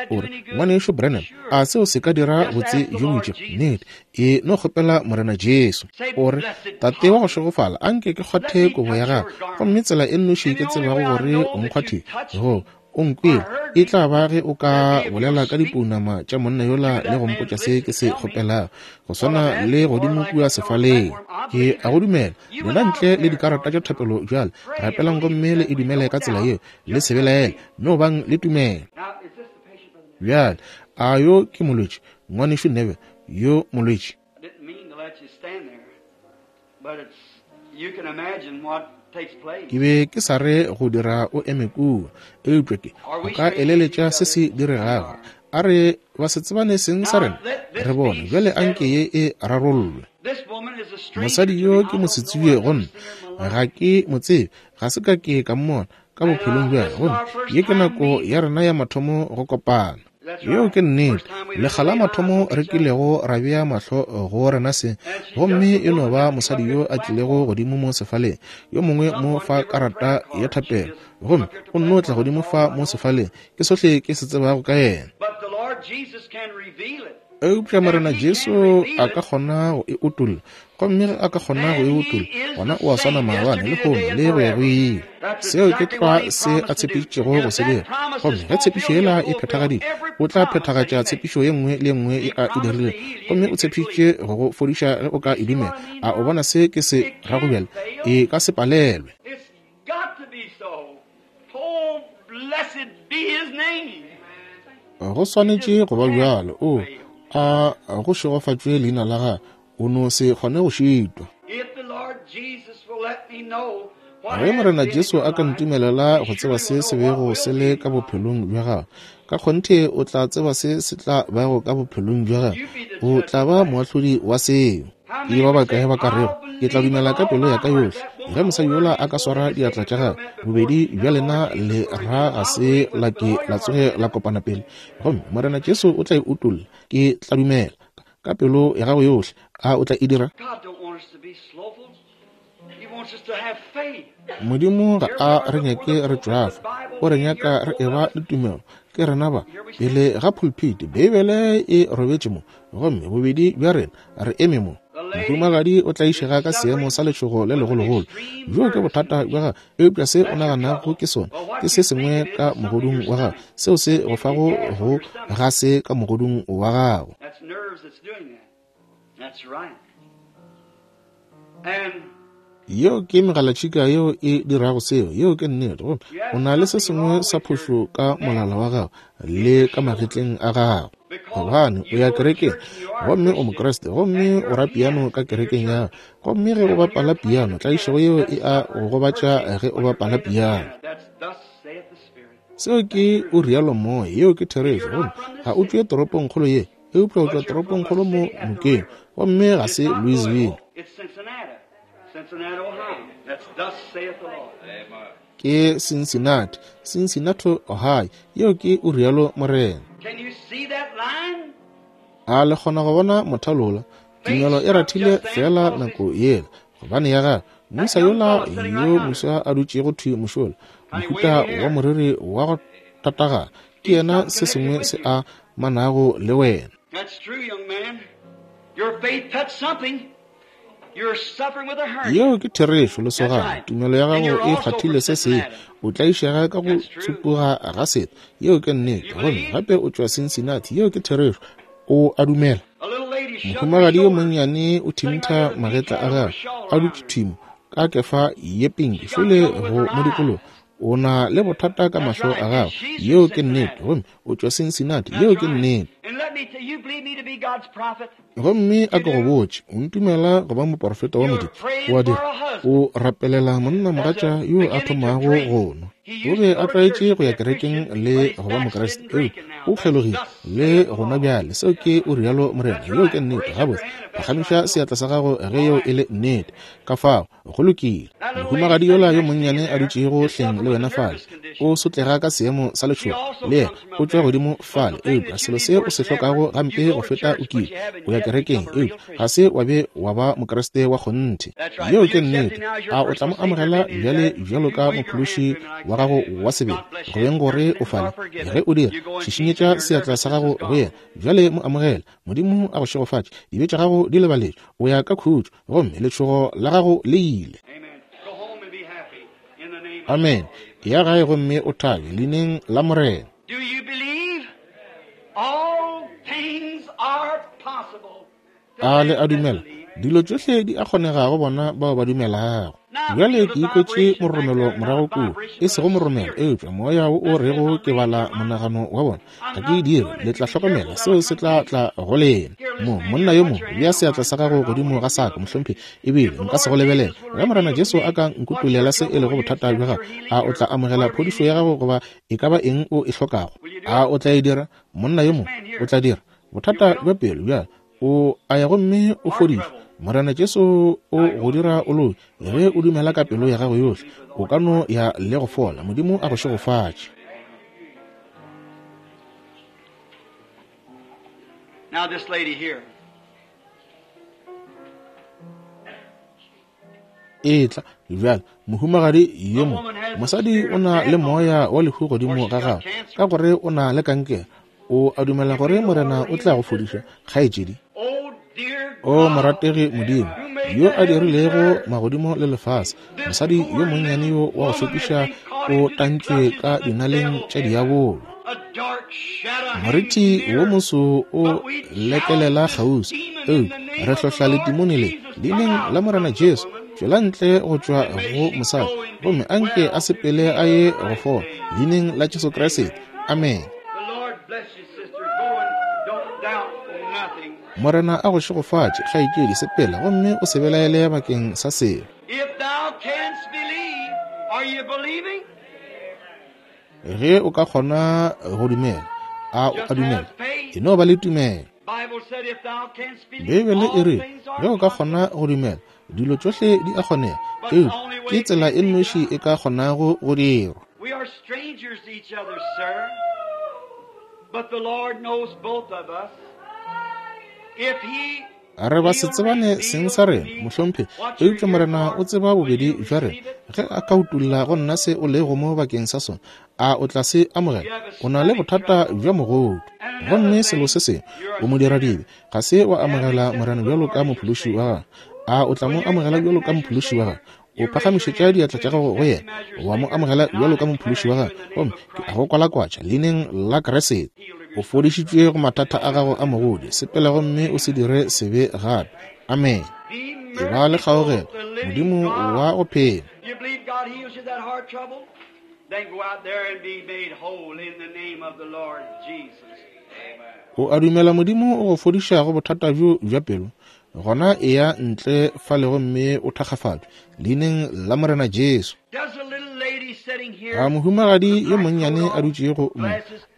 Ke, o re, Ngwanešu Branham, a seo se ka dira botse bjo bo itšego? Nnete. E no kgopela Morena Jesu. O re, Tate wa go šegofala, a nke ke kgwathe kobo ya gago. Gomme tsela e nnoši ke tsebago gore o nkgwathile, go, o nkwele, e tla ba ge o ka bolela ka dipounama tša monna yola le go mpotša se ke se kgopelago, go swana le godimo kua sefaleng. Ke a go dumela. Lena ntle le dikarata tša thapelo bjale, rapelang gomme le e dumele ka tsela yeo. Le se belaele, no bang le tumelo. Bjale, a yo ke molwetši? Ngwanešu Neville, yo molwetši? Ke be ke sa re go dira o eme kua, eupša ke, o ka eleletša se se diregago. A re ba se tsebane seng sa rena, re bone bjale a nke ye e rarollwe. Mosadi yo ke mosetsebje go nna, ga ke mo tsebe, ga se ka ke ka mmona ka bophelong bja gomme ye ke nako ya rena ya mathomo go kopana. Yeo ke nnete. Lekga la mathomo re kilego ra bea mahlo go rena se, gomme e no ba mosadi yo a tlilego godimo mo sefaleng, yo mongwe mo fa karata ya thapelo, gomme o nno tla godimo fa mo sefaleng. Ke sohle ke se tsebago ka yena. Eupša Morena Jesu a ka kgona go e utolla, gomme ge a ka kgona go e utolla, gona o a swana maabane, lehono, le go ya go ile. Seo ke tlwa se a tshepišitšego go se dira. Gomme ge tshepišo yela e phethagaditšwe, o tla phethagatša tshepišo ye nngwe le ye nngwe ye a e dirilego. Gomme o tshepišitše go go fodiša ge o ka e dumela. A o bona se ke se rago bjale? E ka se palelwe. Go swanetše go ba bjalo. O, a go šegofatšwe leina la gagwe. O no se kgone go šitwa. Ge Morena Jesu a ka ntumelela go tseba se se bego se le ka bophelong bja gago, ka kgonthe o tla tseba se se tla bago ka bophelong bja gago. O tla ba moahlodi wa seo. Ke ba bakae ba ka rego, Ke tla dumela ka pelo ya ka yohle. Ge mosadi yola a ka swara diatla tša gagwe, bobedi bja lena le ra ga se la ke la tsoge la kopana pele, gomme Morena Jesu o tla e utolla, ke tla dumela ka pelo ya gago yohle. A o tla e dira? Modimo ga a re nyake re tšwafa, o re nyaka re eba le tumelo. Ke rena ba pele ga pulpit, Beibele e robetše mo, gomme bobedi bja rena re eme mo. Mohumagadi o tlaišega ka seemo sa letšhogo le legologolo. Bjoo ke bothata bja gagwe, eupša se o naganago ke sona ke se sengwe ka mogodung wa gago, seo se go fago go ga se ka mogodung wa gago. Yeo ke megalatšhika yeo e dirago seo. Yeo ke nnete. Gomme o na le se sengwe sa phošo ka molala wa gago le ka magetleng a gago, gobane o ya kerekeng gomme o Mokriste, gomme o ra piano ka kerekeng ya gago. Gomme ge o bapala piano, tlaišego yeo e a go gobatša ge o bapala piano. Seo ke o rialo moya. Yeo ke therešo. Gomme ga o tšwe toropongkgolo ye, eupša o tšwa toropongkgolo mo nokeng, gomme ga se Louisville. Ke Cincinnati, Cincinnati, Ohio. Yeo ke o rialo morena. A le kgona go bona mothalola? Tumelo e rathile feela nako yela, gobane ya gagwe moisa yola yo moswa a dutšego thwi mošola, mohuta wa moriri wa go tatagana, ke yena se sengwe se a manago le wena. Yeo ke therešo, lesogana. Tumelo ya gago e kgwathile se sengwe. O tlaišega ka go tsupuga ga setho. Yeo ke nnete. Gomme gape o tšwa Cincinnati. Yeo ke therešo. O a dumela. Mohumagadi yo monnyane o thintha magetla a gagwe, a dutše thwi mo, ka kefa ye pinki, šole go mo dikologa. O na le bothata ka mahlo a gago. Yeo ke nnete. Gomme o tšwa Cincinnati. Yeo ke nnete. Gomme a ke go botše, o ntumela go ba moporofeta wa Modimo? O a dira? O rapelela monnamogatša yo a thomago go nwa. O be a tlwaetše go ya kerekeng le go ba Mokriste, eupša o kgelogile le go nwa bjale. Seo ke o rialo morena. Yeo ke nnete. Gabotse, phagamiša seatla sa gago ge yeo e le nnete. Ka fao, go lokile. Mohumagadi yola yo monnyane a dutšego hleng le wena fale, o sotlega ka seemo sa letšhogo, le yena o tšwa godimo fale. Eupša selo se o se hlokago gampe go feta o kile o ya kerekeng, eupša ga se wa be wa ba Mokriste wa kgonthe. Yeo ke nnete. A o tla mo amogela bjale bjalo ka Mophološi wa gago wa sebele, go beng gore o fale? Ge o dira, šišinyetša seatla sa gago go yena bjale, mo amogele. Modimo a go šegofatše. Dibe tša gago di lebaletšwe. O ya ka khutšo, gomme letšhogo la gago le ile. Amen. Ya gae gomme o thabe leineng la Morena. A le a dumela? Dilo tšohle di a kgonega go bona bao ba dumelago. Bjale ke ikwetše moromelo morago kua, e sego moromelo, eupša moya wo o rego ke bala monagano wa bona. Ga ke e dire, le tla hlokomela, seo se tla tla go lena. Mo, monna yo mo, bea seatla sa gago godimo ga saka, mohlomphegi, ebile nka se go lebelela. Ge Morena Jesu a ka nkutulela se e lego bothata bja gago, a o tla amogela phodišo ya gago goba e ka ba eng o e hlokago? A o tla e dira? Monna yo mo, o tla dira. Bothata bja pelo bjale, o a ya gomme o fodišwa. Morena Jesu o go dira o loke. Ge o dumela ka pelo ya gago yohle, o ka no ya le go fola. Modimo a go šegofatše. Now this lady here. Etla bjale, mohumagadi yo mo. Mosadi o na le moya wa lehu godimo ga gagwe, ka gore o na le kankere. O a dumela gore Morena o tla go fodiša, kgaetšedi? O morategi Modimo, yo a dirilego magodimo le lefase, mosadi yo monnyane yo wa go šokiša o tantšwe ka dinaleng tša diabolo. Moriti wo moso o lekelela kgauswi, eupša re hlohla letimone le leineng la Morena Jesu. Tšwela ntle go tšwa go mosadi, gomme a nke a sepele a ye go fola, leineng la Jesu Kriste. Amen. Morena a go šegofatše, kgaetšedi, sepela gomme o se belaele bakeng sa selo. Ge o ka kgona go dumela, a o a dumela? E no ba le tumelo. Beibele e re ge o ka kgona go dumela, dilo tšohle di a kgonega, eupša ke tsela e nnoši e ka kgonago go dirwa. We are strangers to each other, sir, but the Lord knows both of us. If He Re ba se tsebane seng sa rena, mohlomphegi, eupša Morena o tseba bobedi bja rena. Ge a ka utolla go nna se o lego mo bakeng sa sona, a o tla se amogela? O na le bothata bja mogodu. Gomme selo se sengwe, o modiradibe, ga se wa amogela Morena bjalo ka Mophološi wa gago. A o tla mo amogela bjalo ka Mophološi wa gago? O phagamišetša diatla tša gago go yena, wa mo amogela bjalo ka Mophološi wa gago, gomme ke a go kwalakwatša leineng la Kriste. O fodišitšwe go mathata a gago a mogodi. Sepela gomme o se dire sebe gape. Amene. E ba le kgaogelo, Modimo wa go phela. You believe God heals you that heart trouble? Then go out there and be made whole in the name of the Lord Jesus. O a dumela Modimo o go fodiša go bothata bjo bja pelo? Gona eya ntle fale gomme o thakgafatšwe leineng la Morena Jesu. Does a little lady sitting here A mohumagadi yo monnyane a dutšego mo,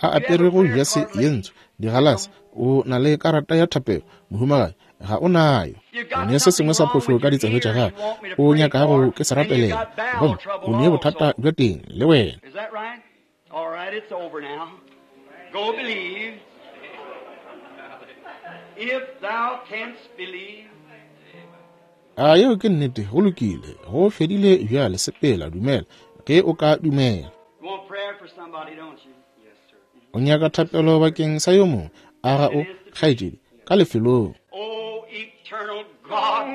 a aperego jase ye ntsho, digalase, o na le karata ya thapelo, mohumagadi? Ga o nayo. O ne se sengwe sa phošo ka ditsebe tša gago, o nyakago ke se rapelela, gomme o ne bothata bja teng le wena. Is that right? All right, it's over now. Go believe. If thou canst believe. A yeo ke nnete? Go lokile, go fedile bjale. Sepela, dumela, ge o ka dumela. You want prayer for somebody, don't you? Yes, sir. O nyaka thapelo bakeng sa yo mongwe, a ga o, kgaetšedi, ka lefelong? Oh, eternal God,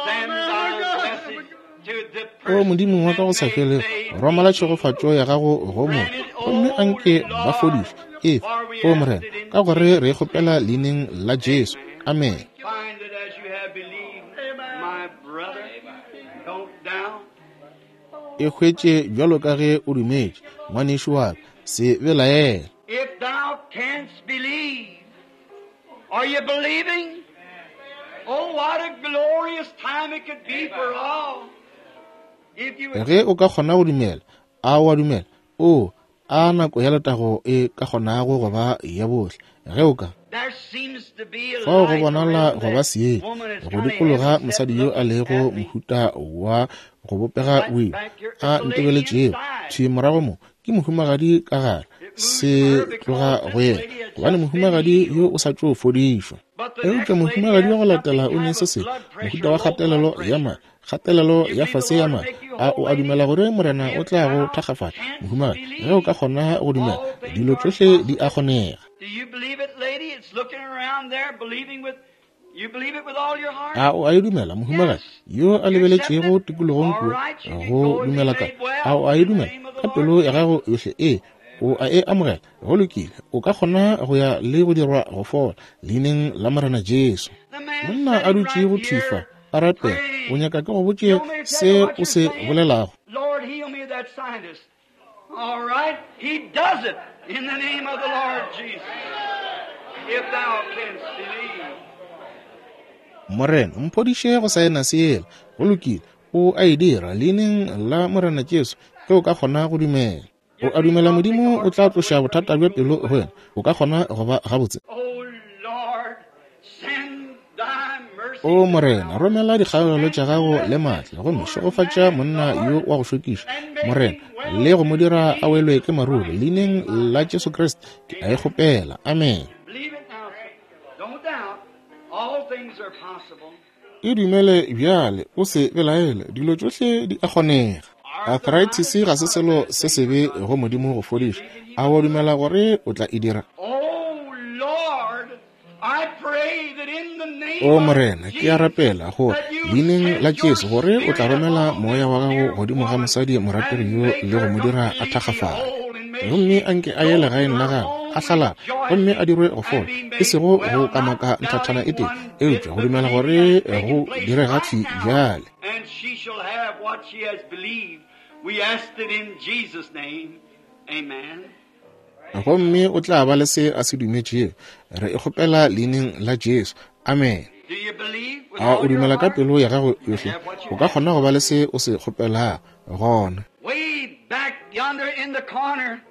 send thy blessing to the O Modimo wa ka go sa person felego, that may romela tšhegofatšo ya gago go mo, gomme anke ba fodišwe. Efa, o Morena, ka gore re e kgopela leineng la Jesu. Amen. Find it as you have believed, my brother. Don't doubt. E hwetše bjalo ka ge o dumetše, ngwanešu wa ka, se belaele. If thou canst believe, are you believing? Oh, what a glorious time it could be for all. If you would Ge o ka kgona go dumela, a o a dumela? O, a nako ya letago e ka kgonago go ba ya bohle, ge o ka. There seems to be a Fao go light bonala around go ba that seetša woman that's go kinda dikologa heavy set mosadi yo a looking lego at me. mohuta wa go bopega boima, a ntebeletšego thwi morago mo, ke mohumagadi ka gare, se tloga go yena, gobane mohumagadi yo o sa tšo fodišwa. But the Eupša next lady mohumagadi wa has go latela something o ne kind se of sengwe, blood mohuta pressure, wa low blood kgatelelo ya pressure. madi, kgatelelo You ya believe the fase ya Lord will madi. make you A whole, o a lady? dumela gore Morena o If tla go thou thakgafatša, canst mohumagadi? Ge o ka believe, kgona go dumela, all things dilo are tšohle di a possible. kgonega. Do you believe it, lady? It's looking around there, believing with you believe it with all your heart? A o a e dumela, mohumagadi Yes. yo a You accept lebeletšego it? tikologong All kua right, you can go go and be dumela ka? made A well o a e in the dumela name of the ka Lord pelo ya Jesus. gago yohle? Ee, o a e amogela. Go lokile, o ka kgona go ya le go dirwa go fola leineng la Morena Jesu. The man Monna a sitting dutšego right thwi fa here a rapela, o praying. nyaka ke go botše You want me to tell se you what o you're se saying? bolelago. Lord, heal me of that sinus. All right, he does it in the name of the Lord Jesus. If thou canst believe. Morena, mphodiše go saenase yela. Go lokile, o a e dira leineng la Morena Jesu, ge o ka kgona go dumela. O You a believe dumela God will take the Modimo o heart tla trouble away tloša from bothata you, bja you'll pelo be go well. wena. O ka kgona go ba gabotse. Oh Lord, send thy mercy O to Morena, power romela dikgaogelo and tša gago bless le this maatla, gomme poor šegofatša man, monna yo Lord, wa go šokiša, and make Morena, him well le go mo and dira a welwe Jesus ke maruru. Christ. Leineng la Jesu Kriste ke a e kgopela. Amen. Believe it now, sir. Don't doubt. All things are possible. E dumele bjale, o se belaele, dilo tšohle di a kgonega. Arthritis Arthritis ga is se not a selo bad se thing for sebe God. go Modimo go You fodiša. believe it, He A will wa do it. dumela gore o tla e dira? Oh Lord, I pray that in the name O of Morena, ke a Jesus rapela gore that you leineng la send your Jesu gore o tla spirit romela upon moya this wa gago dear godimo ga woman mosadi morategi and yo make le go her mo dira a completely thakgafale. whole and may Gomme she anke a ye go to legaeng la her gagwe, a home hlalala, gomme a rejoicing dirwe go and fola, be e made sego go well, not kamaka nthathana doubting e tee, one bit, eupša go but dumela believing gore that it's go taking place direga right thwi now, bjale. and she shall have what she has believed. We asked it in Jesus' name. Amen. Gomme o tla ba le se a se dumetšego. Re e kgopela leineng la Jesu. Amen. Do you believe with A all o your dumela ka heart? pelo ya gago You can yohle? have what O you ka ask. kgona go ba le se o se kgopelago gona. Way back yonder in the corner.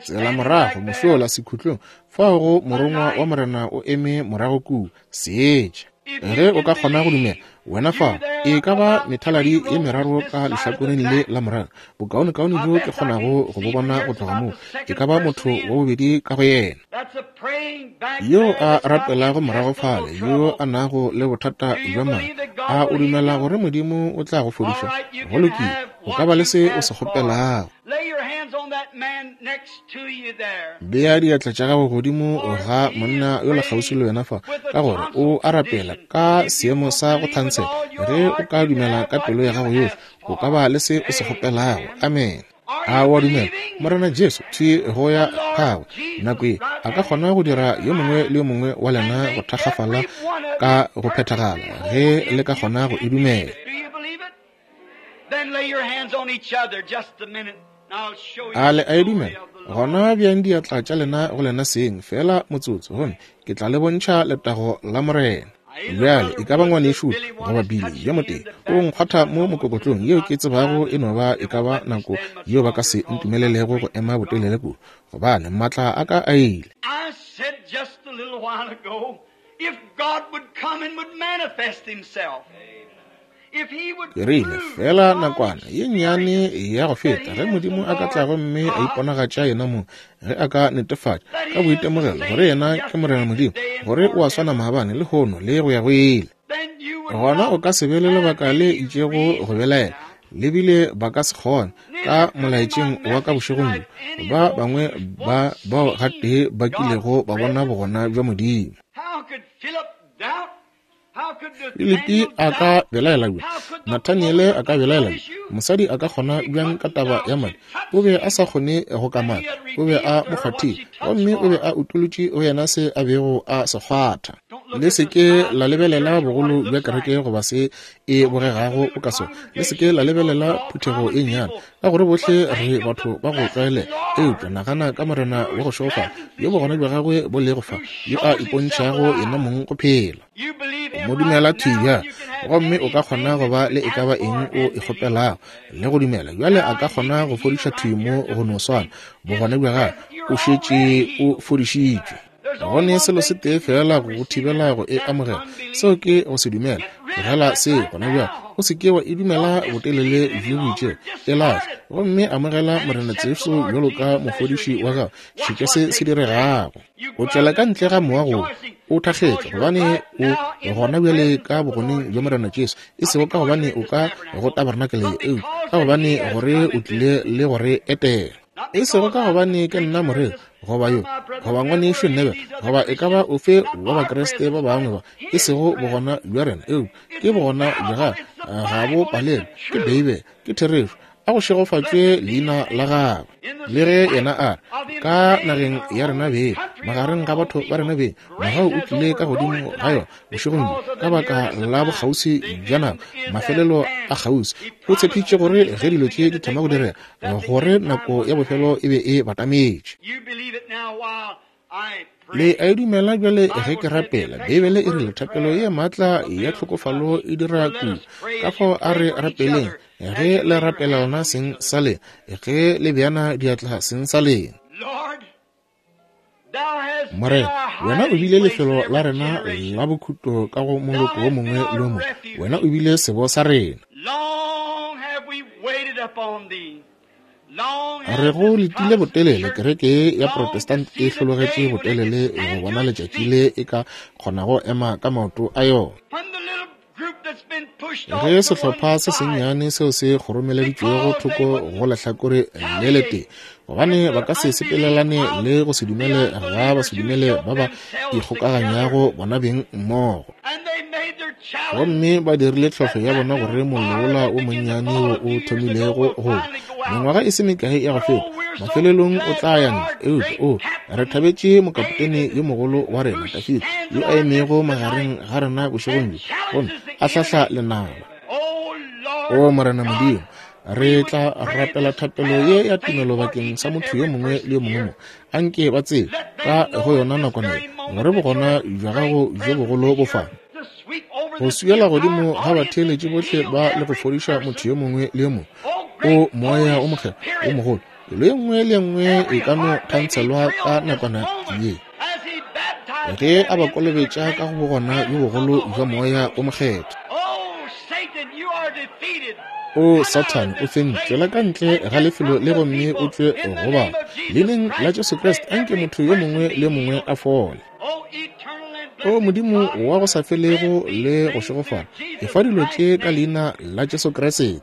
Tsela morago mošola sekhutlong, fao go morongwa wa Morena o eme morago kua, seetša. Ge o ka kgona go dumela, wena fao, e ka ba methaladi ye meraro ka lehlakoreng le la morago, bokaonekaone bjo ke kgonago go bo bona go tloga moo, e ka ba motho wa bobedi ka go yena. Yo a rapelago morago fale, yo a nago le bothata bja madi, a o dumela gore Modimo o tla go fodiša? Go lokile, o ka ba le se o se kgopelago. Bea diatla tša gago godimo ga monna yola kgauswi le wena fa, ka gore o a rapela ka seemo sa go thansela. Ge o ka dumela ka pelo ya gago yohle, o ka ba le se o se kgopelago. Amen. A o a dumela Morena Jesu thwi go ya gagwe nako ye a ka kgona go dira yo mongwe le yo mongwe wa lena go thakgafala ka go phethagala, ge le ka kgona go e dumela? A le a e dumela? Gona bjang diatla tša lena go lena seng feela motsotso, gomme ke tla le bontšha letago la Morena. Bjale e ka ba ngwanešu goba Billy yo motee o nkgwatha mo mokokotlong, yeo ke tsebago e no ba e ka ba nako yeo ba ka se ntumelelego go ema botelele kudu, gobane maatla a ka a ile. Ke rile, feela nakwana ye nnyane ya go feta, ge Modimo a ka tla gomme a iponagatša yena mong, ge a ka netefatša ka boitemogelo gore yena ke Morena Modimo, gore o a swana maabane, lehono, le go ya go ile, gona o ka se be le lebaka le itšego go belaela. Le bile ba ka se kgone ka molaetšeng wa ka bošegong bjo, ba bangwe ba bao gatee ba kilego ba bona bogona bja Modimo. Filipi a ka belaela bjang? Nathaniele a ka belaela bjang? Mosadi a ka kgona bjang ka taba ya madi? O be a sa kgone go kamaka, o be a mo kgwathile, gomme o be a utolotše go yena se a bego a se kgwatha. Le se ke la lebelela bogolo bja kereke goba se e bogegago o ka sona. Le se ke la lebelela phuthego e nnyane, ka gore bohle re batho ba go tlwaelega. Eupša nagana ka Morena wa go šegofala, yo bogona bja gagwe bo lego fa, yo a ipontšhago yena mong go phela. O mo dumela thwi bjale, gomme o ka kgona go ba le e ka ba eng o e kgopelago, le go dumela. Bjale a ka kgona go fodiša thwi mo go no swana. Bogona bja gagwe, o šetše o fodišitšwe. Go ne selo se tee feela go go thibela go e amogela, seo ke go se dumela. Tlogela seo gona bjale. O se ke wa e dumela botelele bjo bo itšego. E lahle gomme amogela Morena Jesu bjalo ka mofodiši wa gago. Šetša se se diregago. O tšwela ka ntle ga moago o thakgetše, gobane o gona bjale ka bogoneng bja Morena Jesu, e sego ka gobane o ka go tabernakeleng, eupša ka gobane gore o tlile le go re etela. E sego ka gobane ke nna moreri, goba yo, goba ngwanešu Neville, goba e ka ba ofe wa Bakriste ba bangwe ba, e sego bogona bja rena, eupša ke bogona bja gagwe. Ga bo palelwe, ke Beibele, ke therešo. A go šegofatšwe leina la gagwe. Le ge yena a re, ka nageng ya rena beng, magareng ga batho ba rena beng, mogau o tlile ka godimo ga yona bošegong bjo, ka baka la bokgauswi bja nako, mafelelo a kgauswi. O tshepišitše gore ge dilo tše di thoma go direga, gore nako ya bofelo e be e batametše. Le a e dumela bjale ge ke rapela? Beibele e rile thapelo ye maatla ya tlhokofalo e dira kudu. Ka fao a re rapeleng ge le rapela lona seng sa lena, ge le beana diatla seng sa lena. Morena, wena o bile lefelo la rena la bokhutlo ka go moloko wo mongwe le wo mongwe. Wena o bile sebo sa rena. Re go letile botelele, kereke ya Protestant e hlologetše botelele go bona letšatši le e ka kgonago ema ka maoto a yona. Ge sehlopha se sennyane seo se kgoromeleditšwego thoko go lehlakore le letee, gobane ba ka se sepelelane le go se dumele ga ba se dumele ba ba ikgokaganyago bona beng mmogo, gomme ba dirile tlhohlo ya bona gore mollo wola o monnyane wo o thomilego go mengwaga e se mekae ya go feta mafelelong o tla ya ntle. Eupša o re thabetše mokapotene yo mogolo wa rena Dafida, yo a emego magareng ga rena bošegong bjo gomme a hlahla lenaba. O Morena Modimo, re tla rapela thapelo ye ya tumelo bakeng sa motho yo mongwe le yo mongwe mo. Anke ba tsebe ka go yona nakwana ye gore bogona bja gago bjo bogolo bo fa go swiela godimo ga batheeletši bohle ba le go fodiša motho yo mongwe le yo mongwe. O Moya o Mokgethwa o mogolo, Pelo ye nngwe le ye nngwe e ka no kgantshelwa ka nakwana ye. Ge a ba kolobetša ka go bogona bjo bogolo bja Moya wo Mokgethwa. O Sathane, o fentšwe. Tšwela ka ntle ga lefelo le gomme o tšwe go ba. Leineng la Jesu Kriste, anke motho yo mongwe le yo mongwe a fole. O Modimo wa go sa felego le go šegofala, efa dilo tše ka Leina la Jesu Kriste.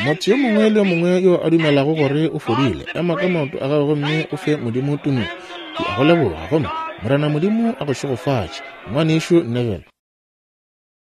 Motho yo mongwe le yo mongwe yo a dumelago gore o fodile, ema ka maoto a gago gomme o fe Modimo tumelo. Ke a go leboga, gomme Morena Modimo a go šegofatše, Ngwanešu Neville.